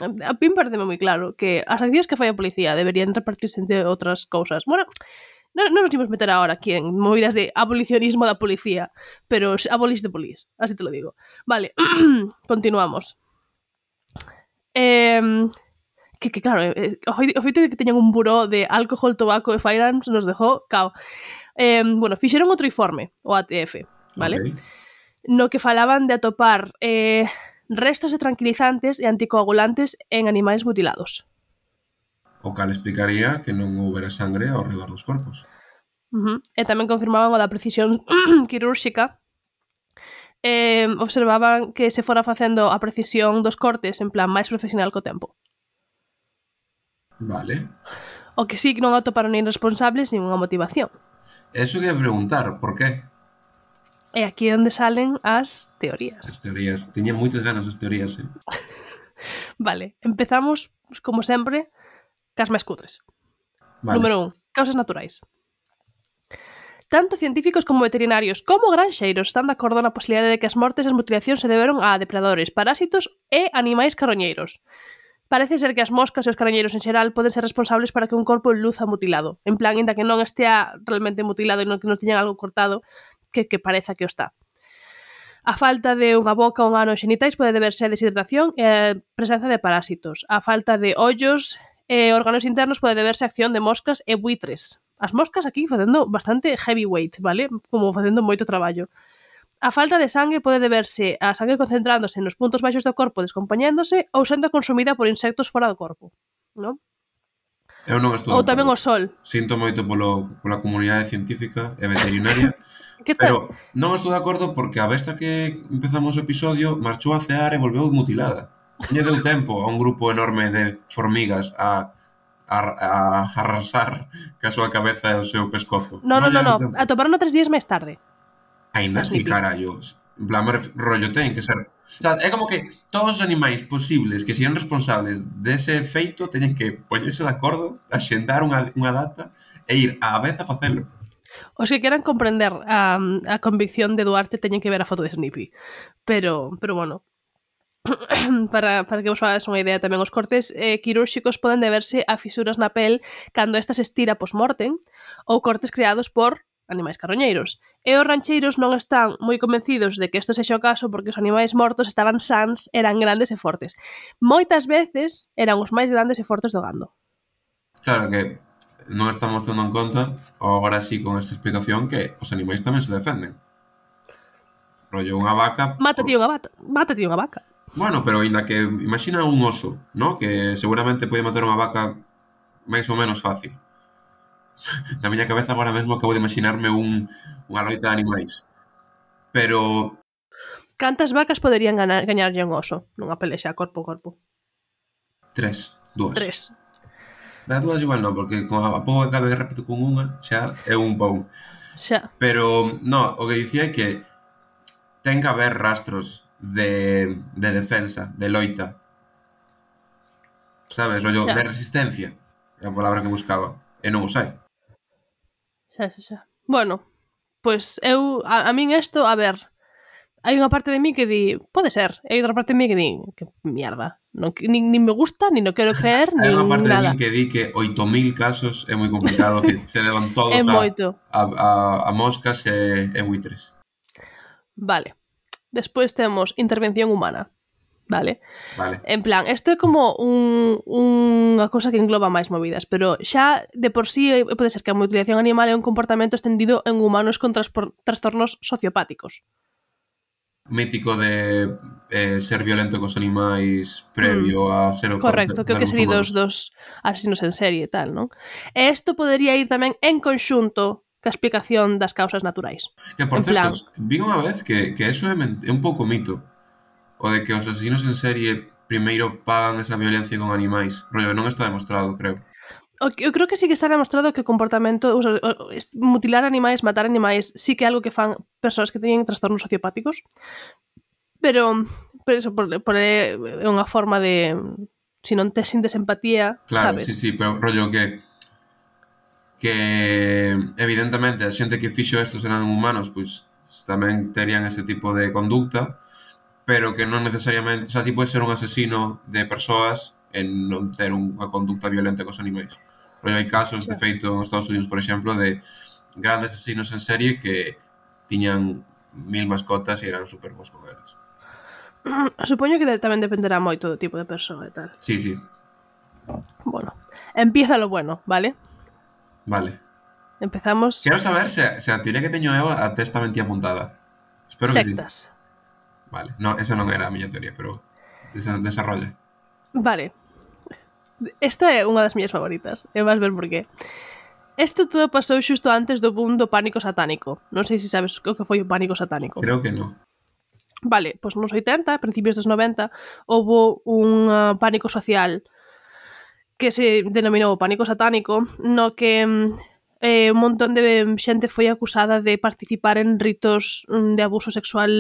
A mí pareceme moi claro que as accións que fai a policía deberían repartirse entre outras cousas. Bueno, non, non nos imos meter agora aquí en movidas de abolicionismo da policía, pero abolish the police, así te lo digo. Vale, continuamos. Eh, que, que claro, eh, o feito de que teñan un buró de alcohol, tabaco e firearms nos dejou cao. Eh, bueno, fixeron outro informe, o A T F, vale? Okay. No que falaban de atopar eh, restos de tranquilizantes e anticoagulantes en animais mutilados. O cal explicaría que non houbera sangre ao redor dos corpos. Uh-huh. E tamén confirmaban o da precisión quirúrxica. Eh, observaban que se fora facendo a precisión dos cortes en plan máis profesional co tempo. Vale. O que sí que non atoparon nin responsables nin unha motivación. Eso que ia preguntar, por qué? E aquí é onde salen as teorías. As teorías. Tiña moitas ganas as teorías, eh? Vale, empezamos, como sempre, cas máis cutres. Vale. Número un, causas naturais. Tanto científicos como veterinarios como granxeiros están de acordo na posibilidade de que as mortes e as mutilacións se deberon a depredadores, parásitos e animais carroñeiros. Parece ser que as moscas e os carroñeiros en xeral poden ser responsables para que un corpo luza mutilado. En plan, inda que non estea realmente mutilado e non que non teñan algo cortado, que, que pareza que o está. A falta de unha boca ou un ano xenitais pode deberse a deshidratación e a presenza de parásitos. A falta de ollos e órganos internos pode deberse a acción de moscas e buitres. As moscas aquí facendo bastante heavyweight, vale? Como facendo moito traballo. A falta de sangue pode deberse a sangue concentrándose nos puntos baixos do corpo descompoñéndose ou sendo consumida por insectos fora do corpo, non? Eu non estou Ou tamén o sol. Sinto moito polo, pola comunidade científica e veterinaria, Que tal? pero non estou de acordo porque a vez que empezamos o episodio marchou a cear e volveu mutilada. Lle deu tempo a un grupo enorme de formigas a, a, a arrasar ca súa cabeza e o seu pescozo. No, no, no, no. Tempo. Atoparon tres días máis tarde. Ainda así, carallos. En plan, rollo, ten que ser... O sea, é como que todos os animais posibles que sean responsables dese feito teñen que poñerse de acordo, axendar unha, unha data e ir á vez a facelo. Os que queran comprender a, a convicción de Duarte teñen que ver a foto de Snippy. Pero, pero bueno, para, para que vos fagades unha idea tamén, os cortes eh, quirúrxicos poden deberse a fisuras na pel cando esta se estira post-mortem ou cortes creados por animais carroñeiros. E os rancheiros non están moi convencidos de que isto sexa o caso porque os animais mortos estaban sans, eran grandes e fortes. Moitas veces eran os máis grandes e fortes do gando. Claro que non estamos tendo en conta, ou agora sí con esta explicación, que os animais tamén se defenden. Rollo, unha vaca... Mátate unha vaca. Mátate unha vaca. Bueno, pero ainda que... Imagina un oso, ¿no? Que seguramente pode matar unha vaca máis ou menos fácil. Na miña cabeza agora mesmo acabo de imaginarme un, unha loita de animais. Pero... Cantas vacas poderían ganar, gañarlle un oso nunha pelexa corpo a corpo? Tres, dúas. Tres. Da dúas igual non, porque como a pouco que acabe de repito con unha, xa é un pau. Xa. Pero, no, o que dicía é que ten que haber rastros de, de defensa, de loita. Sabes, rollo, Xa. de resistencia. É a palabra que buscaba. E non os hai. Xa, xa, xa. Bueno, pois eu, a, a min isto, a ver, hai unha parte de mí que di, pode ser, e hai outra parte de mí que di, que mierda, non, nin, nin me gusta, nin no quero creer, Hai nin unha parte nada. de min que di que oito mil casos é moi complicado que se deban todos É a, moito. a, a, a moscas e, e buitres. Vale. Despois temos intervención humana. Vale? Vale. En plan, isto é como un, unha cousa que engloba máis movidas, pero xa de por sí pode ser que a mutilación animal é un comportamento estendido en humanos con transpor, trastornos sociopáticos. Mítico de eh, ser violento cos animais previo mm. a ser o correcto, creo que sería dos, dos asesinos en serie e tal, non? E isto podería ir tamén en conxunto ca explicación das causas naturais. Que, por en certo, plan... vi unha vez que, que eso é, é un pouco mito. O de que os asesinos en serie primeiro pagan esa violencia con animais. Rollo, non está demostrado, creo. Eu creo que sí que está demostrado que o comportamento, o sea, mutilar animais, matar animais, sí que é algo que fan persoas que teñen trastornos sociopáticos. Pero, pero eso, por, por é unha forma de... Si non te sintes empatía, claro, sabes? Sí, sí, pero rollo que... que evidentemente a xente que fixo estos eran humanos, pois tamén terían ese tipo de conducta, pero que non necesariamente, o sea, ti podes ser un asesino de persoas e non ter unha conducta violenta cos animais. Pero hai casos, de feito, en Estados Unidos, por exemplo, de grandes asesinos en serie que tiñan mil mascotas e eran super bons con eles. Supoño que tamén dependerá moito do tipo de persoa e tal. Sí, sí. Bueno, empieza lo bueno, vale? Vale. Empezamos... Quero saber se, se a teoría que teño eu a testa mentía apuntada. Espero sectas. que sí. Vale, no, esa non era a miña teoría, pero desa- desarrolla. Vale. Esta é unha das miñas favoritas. E vas ver por qué. Isto todo pasou xusto antes do boom do pánico satánico. Non sei se sabes o que foi o pánico satánico. Creo que no. Vale, pois nos oitenta, principios dos noventa, houbo un uh, pánico social que se denominou pánico satánico, no que eh, un montón de xente foi acusada de participar en ritos de abuso sexual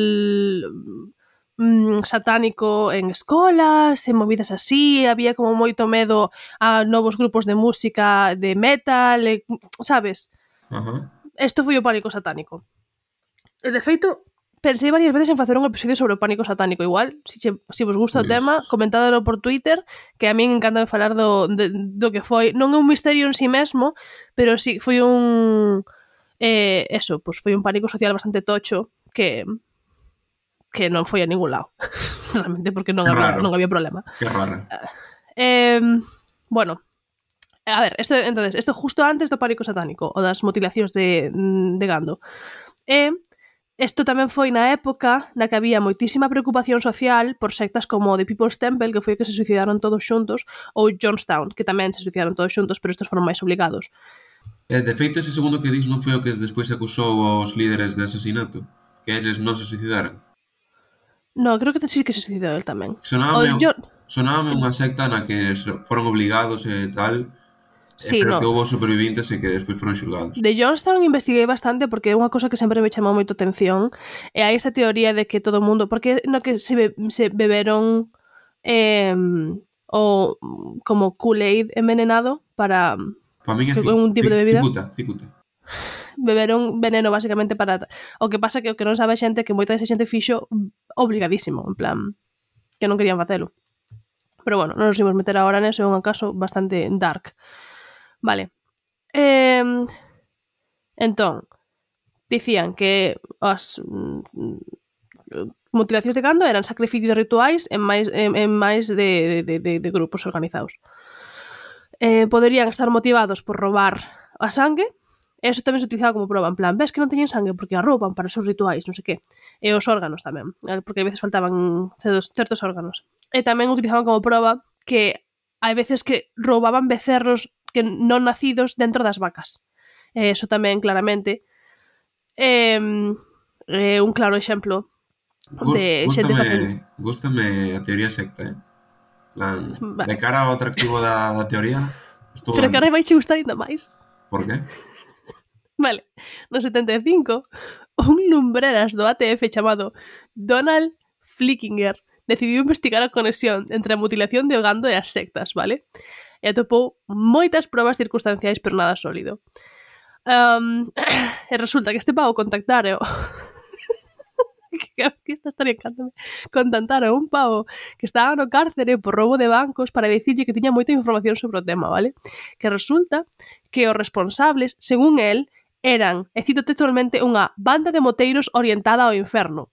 mm, satánico en escolas, en movidas así, había como moito medo a novos grupos de música de metal, e, sabes? Ajá. Isto foi o pánico satánico. E de feito, pensei varias veces en facer un episodio sobre o pánico satánico. Igual, se, si, si vos gusta o Pues... tema, comentádelo por Twitter, que a min encanta falar do, de, do que foi. Non é un misterio en si mesmo, pero sí, foi un... Eh, eso, pues foi un pánico social bastante tocho que que non foi a ningún lado. Realmente, porque non había, non había problema. Que raro. Eh, bueno, a ver, esto, entonces, esto justo antes do pánico satánico, o das mutilacións de, de gando. E isto tamén foi na época na que había moitísima preocupación social por sectas como The People's Temple, que foi que se suicidaron todos xuntos, ou Jonestown, que tamén se suicidaron todos xuntos, pero estos foron máis obligados. E, de feito, ese segundo que dis non foi o que despois acusou os líderes de asesinato? Que eles non se suicidaran? No, creo que sí que se suicidou el tamén. Sonábame, yo... sonábame unha secta na que foron obligados e tal, sí, pero no. que houve supervivintes e que despois foron xulgados. De Jonestown investiguei bastante porque é unha cosa que sempre me chamou moito atención, e hai esta teoría de que todo o mundo, porque no que se, be, se beberon eh, o como Kool-Aid envenenado para pa min é que, un tipo de bebida. Cicuta, cicuta. Beberon veneno basicamente para... O que pasa que o que non sabe a xente que moita desa xente fixo obligadísimo, en plan, que non querían facelo. Pero bueno, non nos imos meter agora neso, é un caso bastante dark. Vale. Eh, entón, dicían que as mm, mutilacións de gando eran sacrificios rituais en máis, en, en máis de, de, de, de grupos organizados. Eh, poderían estar motivados por roubar a sangue. Eso tamén se utilizaba como prova, en plan, ves que non teñen sangue porque a rouban para os seus rituais, non sei que. E os órganos tamén, porque a veces faltaban certos, certos órganos. E tamén utilizaban como prova que hai veces que roubaban becerros que non nacidos dentro das vacas. E eso tamén, claramente, é eh, un claro exemplo de xente facendo. Gústame a teoría secta, eh? Plan, vale. De cara ao atractivo da, da teoría, pero que ahora vai che gustar ainda máis. Por qué? Vale, no setenta e cinco, un lumbreras do A T F chamado Donald Flickinger decidiu investigar a conexión entre a mutilación de gando e as sectas, vale? E atopou moitas probas circunstanciais, pero nada sólido. Um, e resulta que este pavo contactara que esta historia encántame contactara a un pavo que estaba no cárcere por roubo de bancos para dicirlle que tiña moita información sobre o tema, vale? Que resulta que os responsables, según el, eran, e cito textualmente, unha banda de moteiros orientada ao inferno.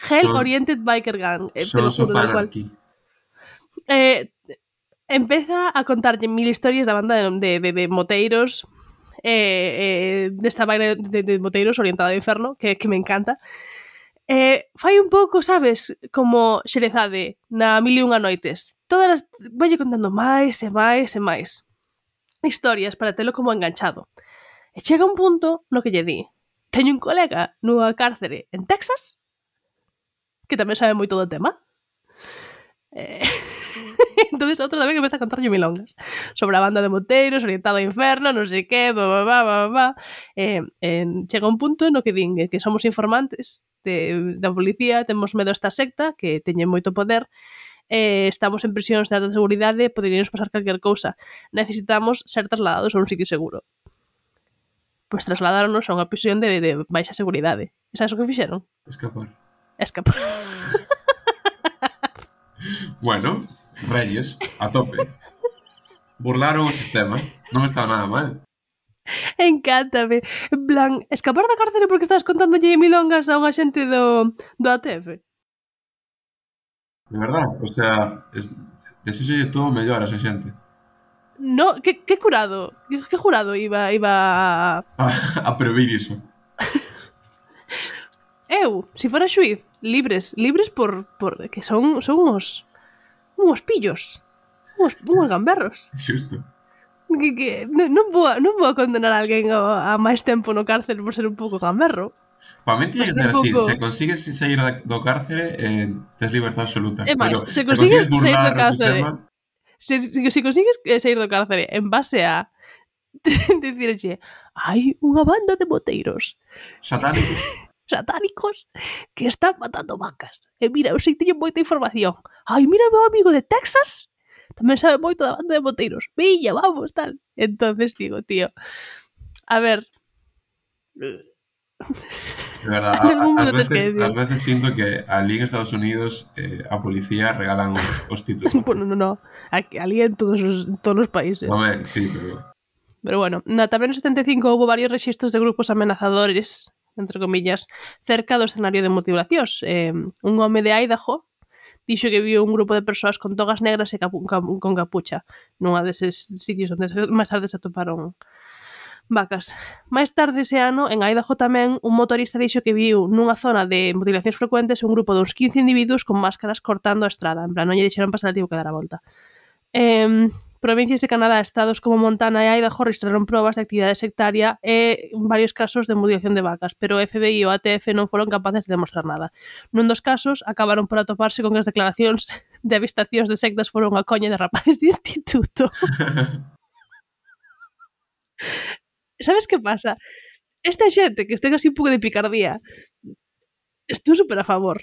Hell son, Oriented Biker Gang. Eh, Sons of Anarchy. Eh, empeza a contarlle mil historias da banda de, de, de moteiros, eh, eh, desta banda de, de moteiros orientada ao inferno, que, que me encanta. Eh, fai un pouco, sabes, como Xerezade na Mil e Unha Noites. Todas as... Valle contando máis e máis e máis historias para telo como enganchado. E chega un punto no que lle di: teño un colega nunha cárcere en Texas que tamén sabe moito do tema. Eh... entonces outro tamén empeza a contarlle milongas sobre a banda de moteiros orientado ao inferno, non sei que, ba, ba, ba, ba, ba. Eh, eh, chega un punto no que din que somos informantes de, da policía, temos medo a esta secta que teñe moito poder, eh, estamos en prisións de alta seguridade, poderíamos pasar calquer cousa, necesitamos ser trasladados a un sitio seguro. Pois pues trasladáronos a unha prisión de, de baixa seguridade. E sabes o que fixeron? Escapar. Escapar. Bueno, Reyes, a tope. Burlaron o sistema, non está nada mal. Encántame. En plan, escapar da cárcere porque estás contándolle milongas a unha xente do, do A T F. De verdad, o sea, es, desíxolle todo mellor a esa xente. No, que, que curado? Que, que jurado iba, iba a... A, a previr iso. Eu eu, se fora xuiz, libres, libres por, por que son, son uns, uns pillos, uns, uns gamberros. Xusto. Que, que non, non, vou a, non vou a condenar a alguén a, a máis tempo no cárcel por ser un pouco gamberro. Para mí tiene que ser así, se consigues sair do cárcere, eh, tes libertad absoluta. É máis, Pero se consigues consigues sair do burlar o cárcere, sistema, se, se, se consigues sair do cárcere en base a dicirche, hai unha banda de moteiros satánicos. satánicos que están matando vacas. E mira, eu sei que teño moita información. Ai, mira o meu amigo de Texas, tamén sabe moito da banda de moteiros. Villa, vamos, tal. Entonces digo, tío, a ver... De verdad, a, a, ás, veces, ás veces siento que ali en Estados Unidos eh, a policía regalan os, os títulos. Bueno, no, no. Ali en todos os, todos os países. Home, sí, pero... Pero bueno, na tamén no setenta e cinco houve varios rexistros de grupos amenazadores, entre comillas, cerca do escenario de mutilacións. Eh, un home de Idaho dixo que viu un grupo de persoas con togas negras e capu con capucha nunha deses sitios onde máis tarde se atoparon vacas. Máis tarde ese ano, en Idaho tamén, un motorista dixo que viu nunha zona de mutilacións frecuentes un grupo de uns quince individuos con máscaras cortando a estrada. En plan, non lle dixeron pasar, tivo que dar a volta. Eh, provincias de Canadá, estados como Montana e Idaho registraron probas de actividade sectaria e varios casos de mutilación de vacas, pero o F B I e o A T F non foron capaces de demostrar nada. Nun dos casos, acabaron por atoparse con que as declaracións de avistacións de sectas foron unha coña de rapaces de instituto. Sabes que pasa? Esta xente que estén así un pouco de picardía, estou super a favor.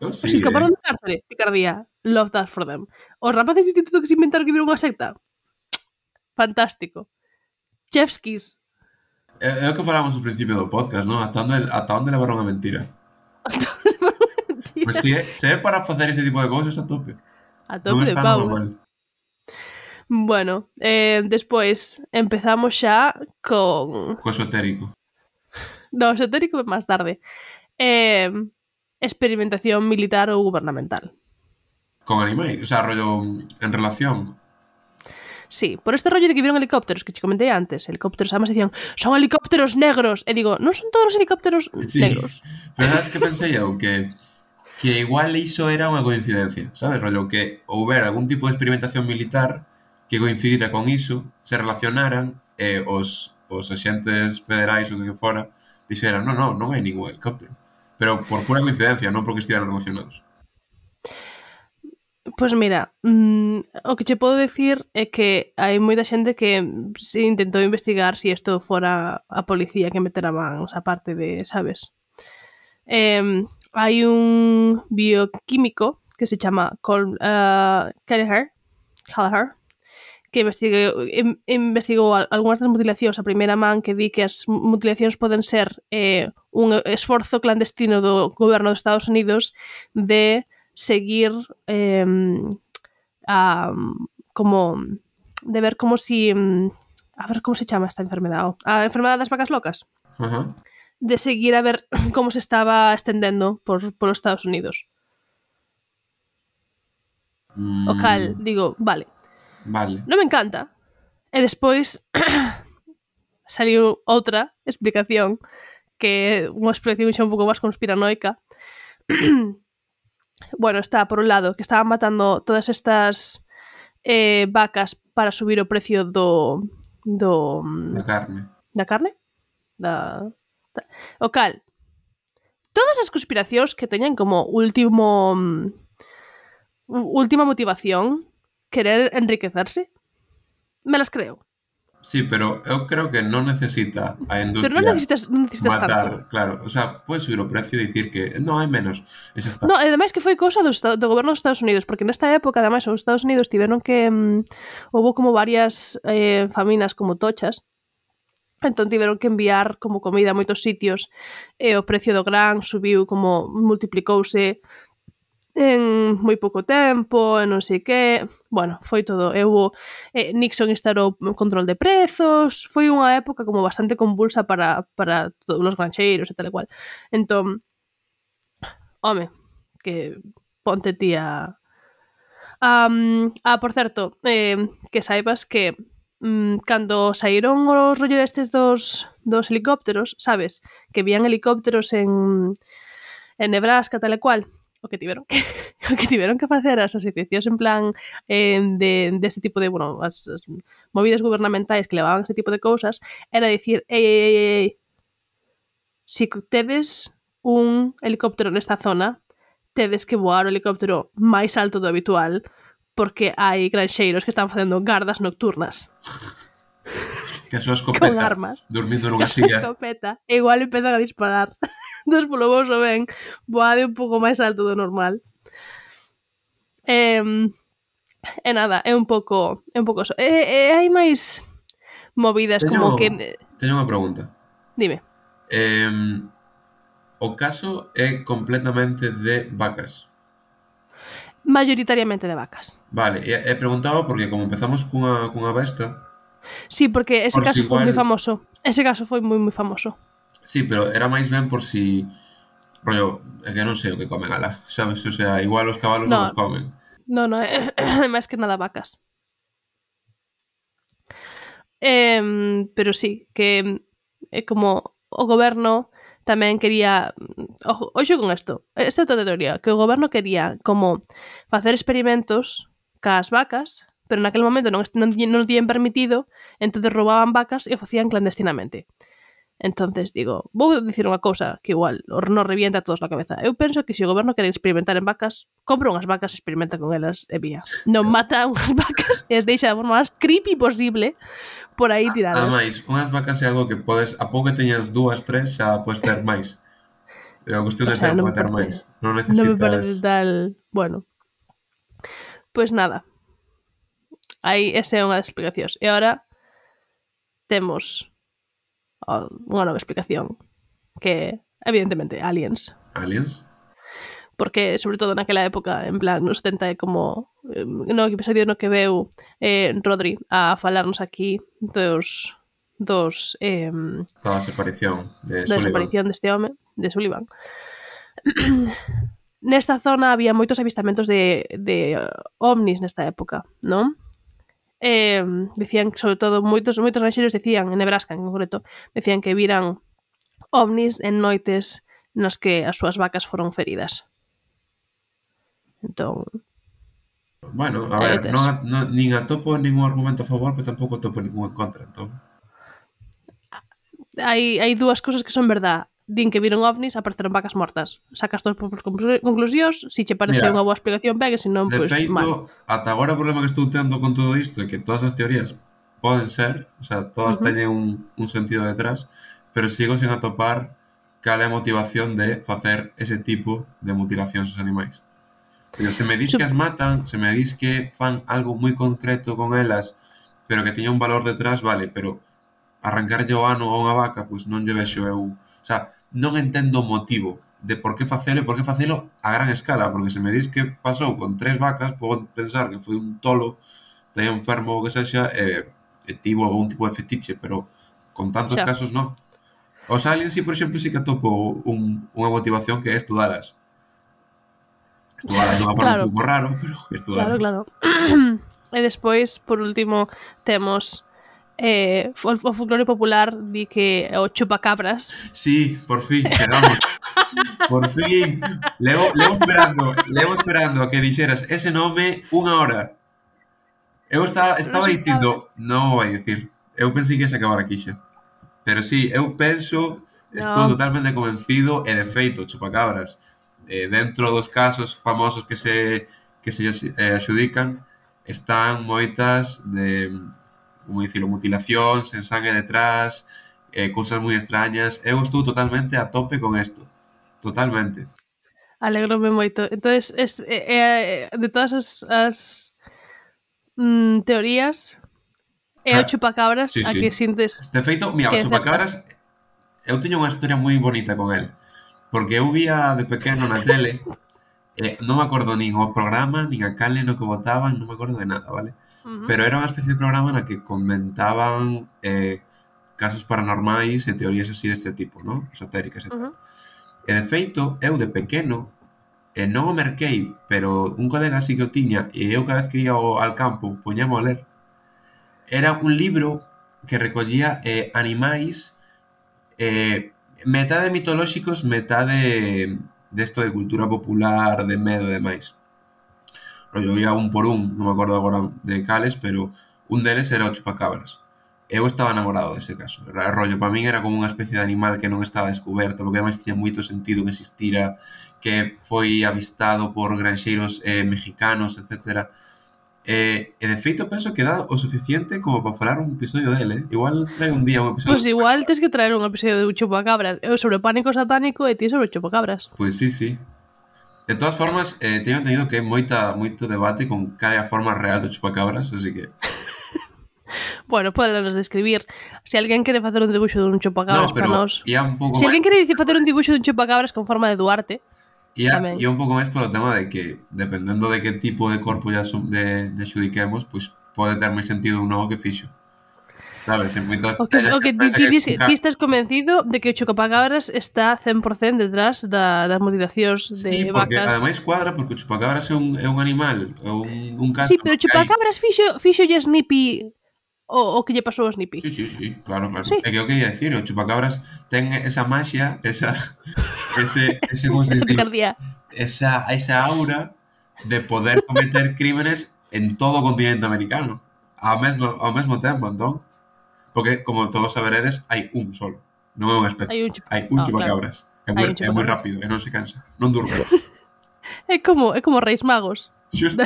Oh, sí, Se escaparon eh. de cárcere, picardía. Love that for them. Os rapaces de instituto que se inventaron que viron unha secta, fantástico. Chefskis. É, é o que falamos ao principio do podcast, non? Ata onde, ata onde levaron a mentira? Pois pues se, é, se é para facer ese tipo de cousas, a tope. A tope non de está pau. nada mal. Bueno, eh, despois empezamos xa con... Co esotérico. No, esotérico é máis tarde. Eh, experimentación militar ou gubernamental. Con animais, o sea, rollo en relación. Sí, por este rollo de que vieron helicópteros que te comentei antes, helicópteros, además decían, son helicópteros negros, e digo, non son todos os helicópteros sí. negros. Pero sabes que pensei eu que que igual iso era unha coincidencia, sabes, rollo que houber algún tipo de experimentación militar que coincidira con iso, se relacionaran e os, os axentes federais ou que fora dixeran, non, non, non hai ningún helicóptero. Pero por pura coincidencia, non porque estiveran relacionados. Pois pues mira, mmm, o que che podo decir é que hai moita xente que se intentou investigar se si isto fora a policía que metera mans a parte de, sabes? Eh, hai un bioquímico que se chama Col, uh, Kelleher, Kelleher, que investigou, investigou algunhas das mutilacións a primeira man, que di que as mutilacións poden ser eh, un esforzo clandestino do goberno dos Estados Unidos de seguir eh, a, como de ver como si a ver como se chama esta enfermedade a enfermedade das vacas locas. Uh-huh. De seguir a ver como se estaba estendendo por, por os Estados Unidos. Mm. O cal, digo, vale. Vale. Non me encanta. E despois saliu outra explicación que é unha explicación xa un pouco máis conspiranoica. Bueno, está por un lado que estaban matando todas estas eh, vacas para subir o precio do do da carne. Da carne? Da, da o cal. Todas as conspiracións que teñan como último última motivación querer enriquecerse, me las creo. Sí, pero eu creo que non necesita a industria pero non necesitas, non necesitas matar, tanto. Claro, o sea, puedes subir o precio e dicir que non hai menos. Esa está. No, ademais que foi cousa do, do goberno dos Estados Unidos, porque nesta época, ademais, os Estados Unidos tiveron que um, houve como varias eh, faminas como tochas, entón tiveron que enviar como comida a moitos sitios e o precio do gran subiu como multiplicouse en moi pouco tempo, e non sei que. Bueno, foi todo. Eu, eh, Nixon instaurou control de prezos. Foi unha época como bastante convulsa para, para todos os granxeiros e tal e cual. Entón, home, que ponte tía... Um, ah, por certo, eh, que saibas que um, cando saíron os rollo destes dos, dos helicópteros, sabes? Que vían helicópteros en... en Nebraska, tal e cual, o que tiveron que, o que, tiveron que facer as asociacións en plan eh, de, de este tipo de, bueno, as, as movidas gubernamentais que levaban este tipo de cousas, era dicir, ei, ei, ei, ei, si tedes un helicóptero nesta zona, tedes que voar o helicóptero máis alto do habitual, porque hai granxeiros que están facendo gardas nocturnas. Que a súa escopeta, con armas, dormindo nunha que a súa silla. escopeta, e igual empezan a disparar. Entón, polo vouso ben, voade un pouco máis alto do normal. E, e nada, é un pouco é un pouco eso. E, e hai máis movidas teño, como que... Teño unha pregunta. Dime. Eh, o caso é completamente de vacas. Mayoritariamente de vacas. Vale, e, e preguntaba porque como empezamos cunha, cunha besta... Sí, porque ese por caso si foi igual... moi famoso. Ese caso foi moi moi famoso. Sí, pero era máis ben por si... Rollo, é que non sei o que comen ala, sabes? O sea, igual os cabalos no, non os comen. No, no, é, é máis que nada vacas. Eh, pero sí, que é como o goberno tamén quería... Ojo, oxo con isto. Esta é outra teoría. Que o goberno quería como facer experimentos cas vacas, pero naquele momento non, non, non tiñen permitido, entonces roubaban vacas e o facían clandestinamente. Entonces digo, vou dicir unha cousa que igual nos revienta a todos na cabeza. Eu penso que se o goberno quere experimentar en vacas, compra unhas vacas, experimenta con elas e vía. Non mata unhas vacas e as deixa da forma máis creepy posible por aí tiradas. Ademais, unhas vacas é algo que podes, a pouco que teñas dúas, tres, xa podes ter máis. É unha cuestión de o sea, tempo non de ter parece, máis. Non necesitas... Non me parece tal... Bueno. Pois pues nada. Aí esa é unha das explicacións. E agora temos unha nova explicación que, evidentemente, aliens. Aliens? Porque, sobre todo naquela época, en plan, nos setenta é como eh, no episodio no que veu eh, Rodri a falarnos aquí dos dos eh, da desaparición de da Sullivan. desaparición deste home, de Sullivan. Nesta zona había moitos avistamentos de, de ovnis nesta época, non? Eh, decían, sobre todo, moitos moitos ranxeiros decían, en Nebraska en concreto, decían que viran ovnis en noites nas que as súas vacas foron feridas. Entón... Bueno, a ver, non, non, nin atopo ningún argumento a favor, pero tampouco atopo ningún en contra, entón... Hai, hai dúas cousas que son verdad. Din que viron ovnis, apareceron vacas mortas. Sacas todas por conclusións, si che parece unha boa explicación, ben, e se non, pois, feito, mal. Ata agora o problema que estou tendo con todo isto é que todas as teorías poden ser, o sea, todas uh-huh. teñen un, un sentido detrás, pero sigo sen atopar cal é a motivación de facer ese tipo de mutilacións aos animais. Pero se me dis que as matan, se me dis que fan algo moi concreto con elas, pero que teña un valor detrás, vale, pero arrancarlle o ano a unha vaca, pois non lle vexo eu... O sea, non entendo o motivo de por que facelo e por que facelo a gran escala, porque se me dis que pasou con tres vacas, podo pensar que foi un tolo, estaría enfermo ou que sexa, e, e tivo algún tipo de fetiche, pero con tantos xa. Casos non. Os aliens, si, por exemplo, si que atopo un, unha motivación que é estudalas. Estudalas non a forma claro. un pouco raro, pero estudalas. Claro, claro. E despois, por último, temos... Eh, o, o folclore popular di que o chupacabras. Sí, por fin, chegamos. Por fin. Levo, levo esperando, levo esperando a que dixeras ese nome unha hora. Eu estaba, estaba dicindo, non o vai dicir. Eu pensei que ia se acabar aquí xa. Pero sí, eu penso, estou no. totalmente convencido, e de feito, chupacabras, eh, dentro dos casos famosos que se que se eh, axudican, están moitas de... como dicilo, mutilacións, sen sangue detrás, eh, cousas moi extrañas. Eu estou totalmente a tope con isto. Totalmente. Alégrome moito. Entonces, es, eh, de todas as, as mm, teorías, é o chupacabras sí, a sí. que sintes... De feito, mira, o chupacabras, eu teño unha historia moi bonita con el. Porque eu vía de pequeno na tele, eh, non me acordo nin o programa, nin a canle no que botaban, non me acordo de nada, vale? Uh-huh. Pero era unha especie de programa na que comentaban eh, casos paranormais e teorías así deste tipo, ¿no? Esotéricas e tal. Uh-huh. E de feito, eu de pequeno, eh, non o merquei, pero un colega así que o tiña, e eu cada vez que ia ao, al campo, poñamo a ler, era un libro que recollía eh, animais eh, metade mitolóxicos, metade desto de cultura popular, de medo e demais. Rollo, ia un por un, non me acordo agora de cales, pero un deles era o chupacabras. Eu estaba enamorado dese caso. Era rollo, para min era como unha especie de animal que non estaba descoberto, porque ademais tiña moito sentido que existira, que foi avistado por granxeiros eh, mexicanos, etcétera. E, e de feito penso que dá o suficiente como para falar un episodio dele, eh? Igual trae un día un episodio. Pois pues igual tes que traer un episodio de chupacabras. Eu sobre pánico satánico e ti sobre chupacabras. Pois pues sí, sí. De todas formas, eh, teño entendido que hai moita, moito debate con cal é a forma real do chupacabras, así que... Bueno, podenos describir. Se alguén quere facer un dibuixo dun chupacabras no, pero para nós... ia un pouco Se alguén máis... quere dicir facer un dibuixo dun chupacabras con forma de Duarte... Ia, tamén. ia un pouco máis polo tema de que, dependendo de que tipo de corpo ya de, de xudiquemos, pois pues, pode ter máis sentido un novo que fixo. Sabes? Moito, o que, o que ti, ti, que ti estás convencido de que o chupacabras está cen por cento detrás da, das mutilacións de sí, porque vacas. Ademais cuadra porque o chupacabras é un, é un animal, é un, un caso. Sí, pero o chupacabras fixo, fixo lle Snippy o, o que lle pasou a Snippy. Sí, sí, sí, claro, claro. Sí. É que o que ia dicir, o chupacabras ten esa maxia, esa ese, ese como se esa picardía. Esa, esa aura de poder cometer crímenes en todo o continente americano ao mesmo, ao mesmo tempo, entón. Porque, como todos saberedes, hai un solo. Non é unha especie. Hai un, chup... hai un oh, chupacabras. Claro. É, moi, é moi rápido e non se cansa. Non durme. é como é como Reis Magos. Xusto.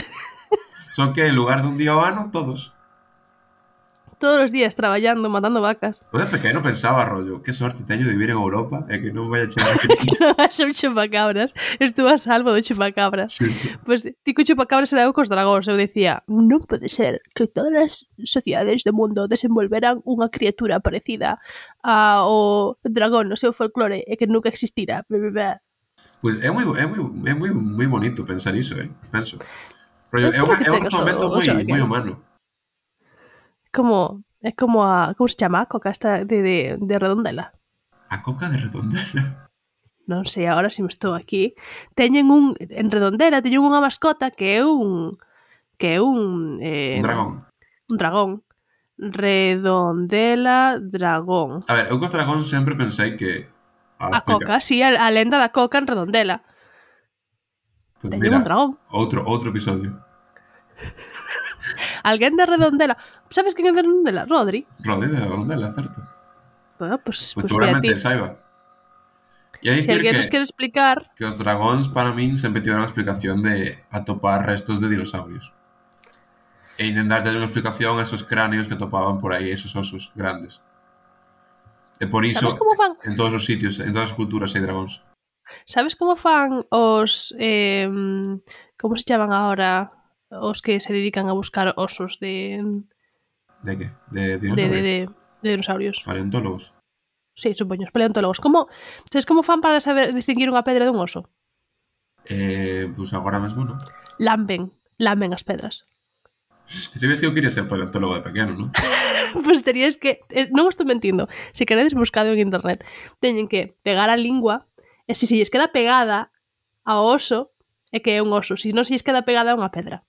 Son que en lugar dun día ao ano, todos. Todos os días traballando, matando vacas. Eu de pequeno pensaba, rollo, que sorte teño de vivir en Europa e que non vai a chegar aquí. Que non haxa un chupacabras. Estuvo a salvo do chupacabras. Xusto. Pois, pues, ti co chupacabras era eu cos dragóns. Eu decía, non pode ser que todas as sociedades do mundo desenvolveran unha criatura parecida ao dragón no seu folclore e que nunca existira. Pois pues é moi, é moi, é moi, moi bonito pensar iso, eh? Penso. Rollo, é, unha, é un momento moi, moi humano. Como, é como a... Como se chama a coca esta de, de, de Redondela? A coca de Redondela? Non sei, agora se me estou aquí. Teñen un... En Redondela teñen unha mascota que é un... Que é un... Eh, un dragón. Un dragón. Redondela dragón. A ver, eu cos dragóns sempre pensei que... A, a coca, sí, a, a lenda da coca en Redondela. Pues teñen mira, un dragón. Outro, outro episodio. Alguén de Redondela. Sabes quen é de Redondela? Rodri. Rodri de Redondela, certo. Bueno, pues, pues, pues seguramente el saiba. E a si alguén que, nos quere explicar... Que os dragóns, para min, sempre tiveron a explicación de atopar restos de dinosaurios. E intentar ter unha explicación a esos cráneos que atopaban por aí, esos osos grandes. E por iso, en todos os sitios, en todas as culturas hai dragóns. Sabes como fan os... Eh, como se chaman agora os que se dedican a buscar osos de... De que? De dinosaurios? De, de, de, de dinosaurios. Paleontólogos. Sí, supoño, os paleontólogos. Como, sabes como fan para saber distinguir unha pedra dun oso? Eh, pois pues agora mesmo, non? Lamben, lamben as pedras. Se ves que eu quería ser paleontólogo de pequeno, non? Pois pues terías que... Non estou mentindo. Se queredes buscado en internet. Teñen que pegar a lingua e se se lles queda pegada ao oso é que é un oso. Se non se lles queda pegada é unha pedra.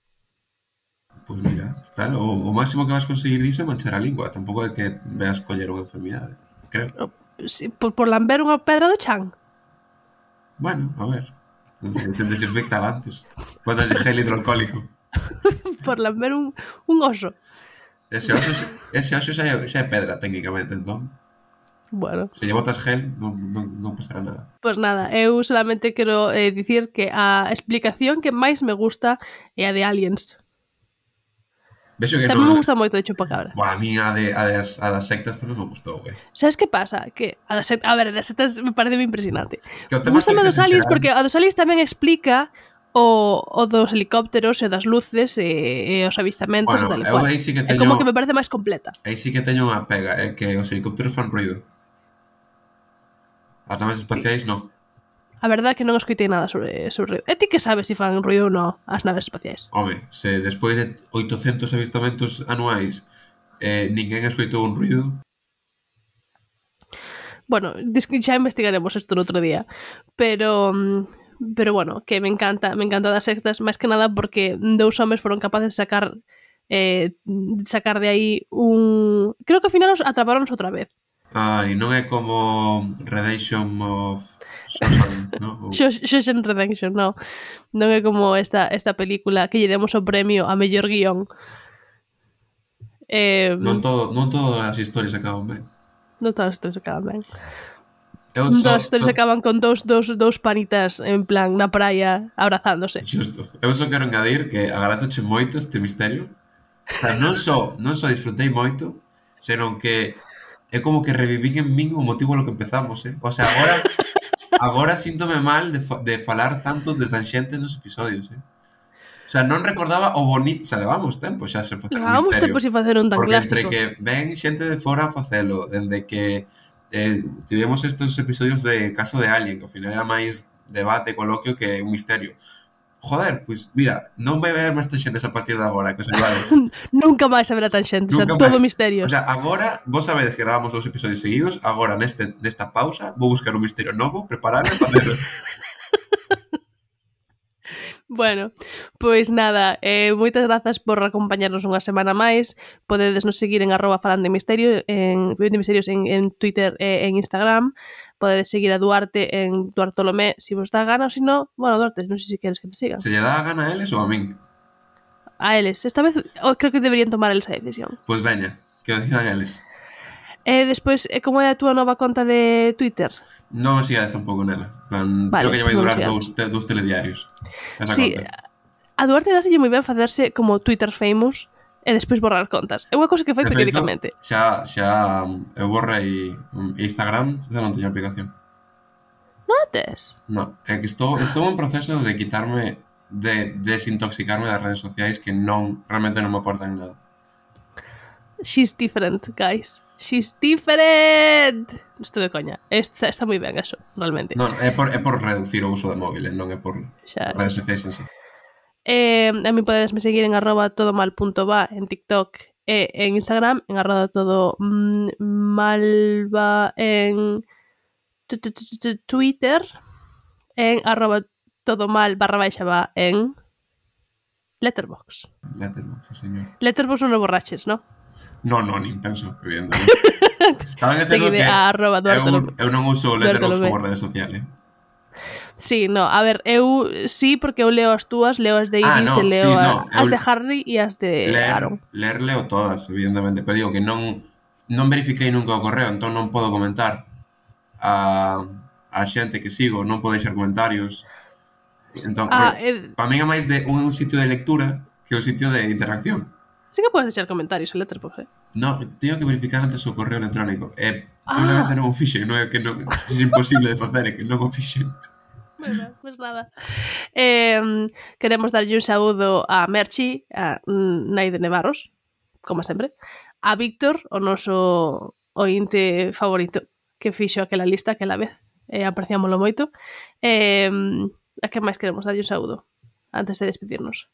Pois pues mira, tal, o, o máximo que vas conseguir diso é manchar a lingua. Tampouco é que veas coller unha enfermidade, creo. Sí, por, por lamber unha pedra do chan? Bueno, a ver. Non sei, se desinfecta antes. Botas de gel hidroalcohólico. Por lamber un, un oso. Ese oso, ese oso xa, é, xa é pedra, técnicamente, entón. Bueno. Se lle botas gel, non, non, non pasará nada. Pois pues nada, eu solamente quero eh, dicir que a explicación que máis me gusta é a de Aliens. Vexo que tamén non... me gusta moito de chupacabra. Buah, a mí a, de, a, das, a das sectas tamén me gustou, güey. Sabes que pasa? Que a, das sectas, a ver, a das sectas me parece moi impresionante. Gústame dos aliens porque a dos aliens tamén explica o, o dos helicópteros e das luces e, e os avistamentos bueno, e tal e cual. Sí que teño, é como que me parece máis completa. Aí sí que teño unha pega, é que os helicópteros fan ruido. As naves espaciais, sí. Non. A verdade é que non escoitei nada sobre, sobre ruido. E ti que sabes se fan ruido ou non as naves espaciais? Home, se despois de oitocentos avistamentos anuais eh, ninguén escoitou un ruido... Bueno, xa investigaremos isto no outro día. Pero... Pero bueno, que me encanta, me encanta das sectas, máis que nada porque dous homes foron capaces de sacar eh, sacar de aí un... Creo que ao final os atraparonnos outra vez. Ai, non é como Redemption of Shawshank, non? Ou... Shawshank Redemption, no. Non é como esta, esta película que lle demos o premio a mellor guión. Eh, Non, todo, non todas as historias acaban ben. Non todas as historias acaban ben. Eu Non só, todas as historias só... acaban con dous, dous, dous panitas en plan na praia abrazándose. Justo. Eu só quero engadir que agradezoche moito este misterio. O sea, non só, non só disfrutei moito, senón que é como que revivín en min o motivo lo que empezamos, eh? O sea, agora agora síntome mal de, fa de falar tanto de tanxentes nos episodios, eh? O sea, non recordaba o bonito, o sea, levamos tempo xa sen facer un Levamos misterio. tempo sin facer un tan Porque clásico. entre que ven xente de fora a facelo, dende que eh, tivemos estes episodios de Caso de Alien, que ao final era máis debate, coloquio que un misterio. Joder, pois, pues, mira, non vai ver máis tanxentes a partir de agora, que os iguales. Nunca máis haberá tanxentes, o sea, todo misterios. O sea, agora, vos sabedes que grabamos dous episodios seguidos, agora neste, nesta pausa, vou buscar un misterio novo, prepararme para facelo. Bueno, pois nada, eh, moitas grazas por acompañarnos unha semana máis. Podedes nos seguir en arroba falando de misterio, en, de misterios en, en Twitter e en Instagram. Podedes seguir a Duarte en Duartolomé se si vos dá gana, ou se non, bueno, Duarte, non sei se queres que te sigan. Se lle dá a gana a eles ou a min? A eles, esta vez oh, creo que deberían tomar eles a decisión. Pois veña, que o decidan eles. E despois, como é a túa nova conta de Twitter? Non me sigades tampouco nela. Plan, vale, creo que lle vai durar dous, te, dous telediarios. Esa sí, conta. A Duarte dáselle moi ben facerse como Twitter famous e despois borrar contas. É unha cousa que fai de periódicamente. Feito, xa, xa eu borrei Instagram, xa non teño aplicación. Non a tes? Non, é que estou, estou en proceso de quitarme, de desintoxicarme das redes sociais que non, realmente non me aportan nada. She's different, guys. She's different. Estou de coña. Está, está moi ben eso, realmente. Non, é por, é por reducir o uso de móvil, non é por xa, redes sociais en sí. Eh, a mí podesme seguir en arroba todomal.va en TikTok e en Instagram, en arroba todo malva en Twitter, en arroba todomal barra baixa va en Letterboxd. Letterboxd, señor. Letterboxd non o borraches, non? Non, non, nin penso, evidentemente. Saben que que arroba eu, eu non uso Letterboxd como rede social, eh? Sí, no, a ver, eu sí, porque eu leo as túas, leo as de Iris, ah, no, e leo sí, no, as eu, de Harry e as de leer, Aaron. Leer leo todas, evidentemente, pero digo que non non verifiquei nunca o correo, entón non podo comentar a, a xente que sigo, non podo deixar comentarios. Entón, ah, eh, para min é máis de un sitio de lectura que un sitio de interacción. Sí que podes deixar comentarios en Letterboxd, eh? No, teño que verificar antes o correo electrónico. E ah. simplemente non o fixen, non é que non, é imposible de facer, é que non o fixen. Bueno, pues nada. Eh, queremos darlle un saúdo a Merchi, a Naide Nevarros, como sempre, a Víctor, o noso ointe favorito, que fixo aquela lista aquela vez, eh, apreciámoslo moito. Eh, a que máis queremos darlle un saúdo antes de despedirnos?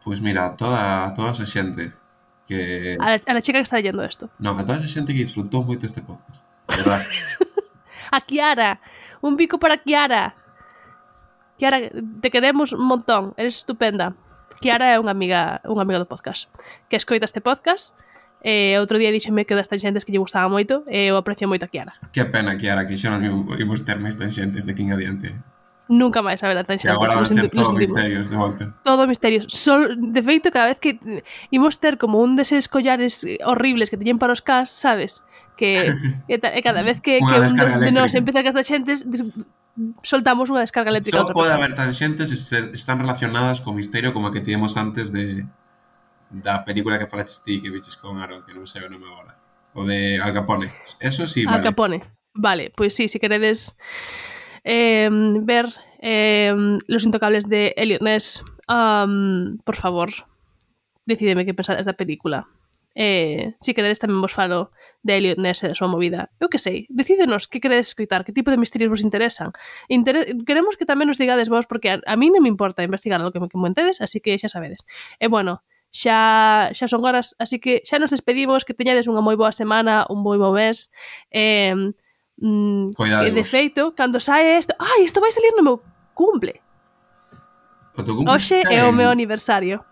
Pois pues mira, toda, toda esa xente que... A la, a la chica que está leyendo isto. Non, a toda esa xente que disfrutou moito este podcast, verdad? A Kiara, un bico para Kiara. Kiara, te queremos un montón, eres estupenda. Kiara é unha amiga, unha amiga do podcast que escoita este podcast e outro día díxeme que das tanxentes que lle gustaba moito e eu aprecio moito a Kiara. Que pena, Kiara, que xa non imos ter máis tanxentes de aquí en adiante. Nunca máis haberá tanxentes. Que agora van a ser todo misterios de volta. Todo misterios. Sol, de feito, cada vez que imos ter como un deses collares horribles que teñen para os cas, sabes? Que e, e cada vez que, que un de, de nos empeza cas tanxentes soltamos unha descarga eléctrica. Só pode haber tanxentes se están relacionadas co misterio como a que tivemos antes de da película que falaste ti que viches con Aaron, que non sei o nome agora. O de Al Capone. Eso sí, vale. Al Capone. Vale, pois pues sí, se queredes eh, ver eh, Los Intocables de Elliot Ness, um, por favor, decideme que pensades da película. Eh, si queredes tamén vos falo de Elliot Ness e da súa movida. Eu que sei, decídenos que queredes escoitar, que tipo de misterios vos interesan. Inter queremos que tamén nos digades vos, porque a, a mí non me importa investigar lo que me comentedes, así que xa sabedes. E bueno, xa, xa son horas, así que xa nos despedimos, que teñades unha moi boa semana, un moi bo mes. Eh, mm, e de feito, cando sae isto, ai, isto vai salir no meu cumple. O teu cumple? Hoxe é o meu aniversario.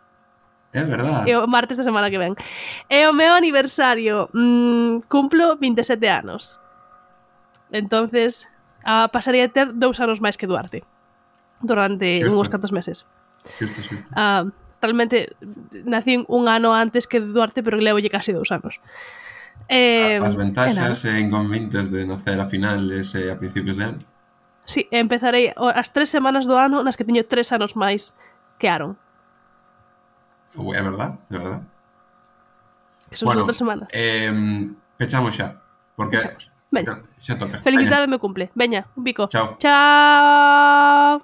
É verdad. E o martes da semana que ven. E o meu aniversario, mmm, cumplo vinte e sete anos. Entonces, a, pasaría a ter dous anos máis que Duarte. Durante Xusto. uns cantos meses. Xusto, xusto. Ah, realmente, nacín un ano antes que Duarte, pero levolle casi dous anos. Eh, As e ventaxas nada. e inconvenientes de nacer a finales e a principios de ano. Sí, empezarei as tres semanas do ano nas que teño tres anos máis que Aaron. É verdad, é verdad. Que son Bueno, só tres semanas. eh, pechamos xa. Porque Pechamos. Veña. xa toca. Felicidade me cumple. Veña, un bico. Chao. Chao.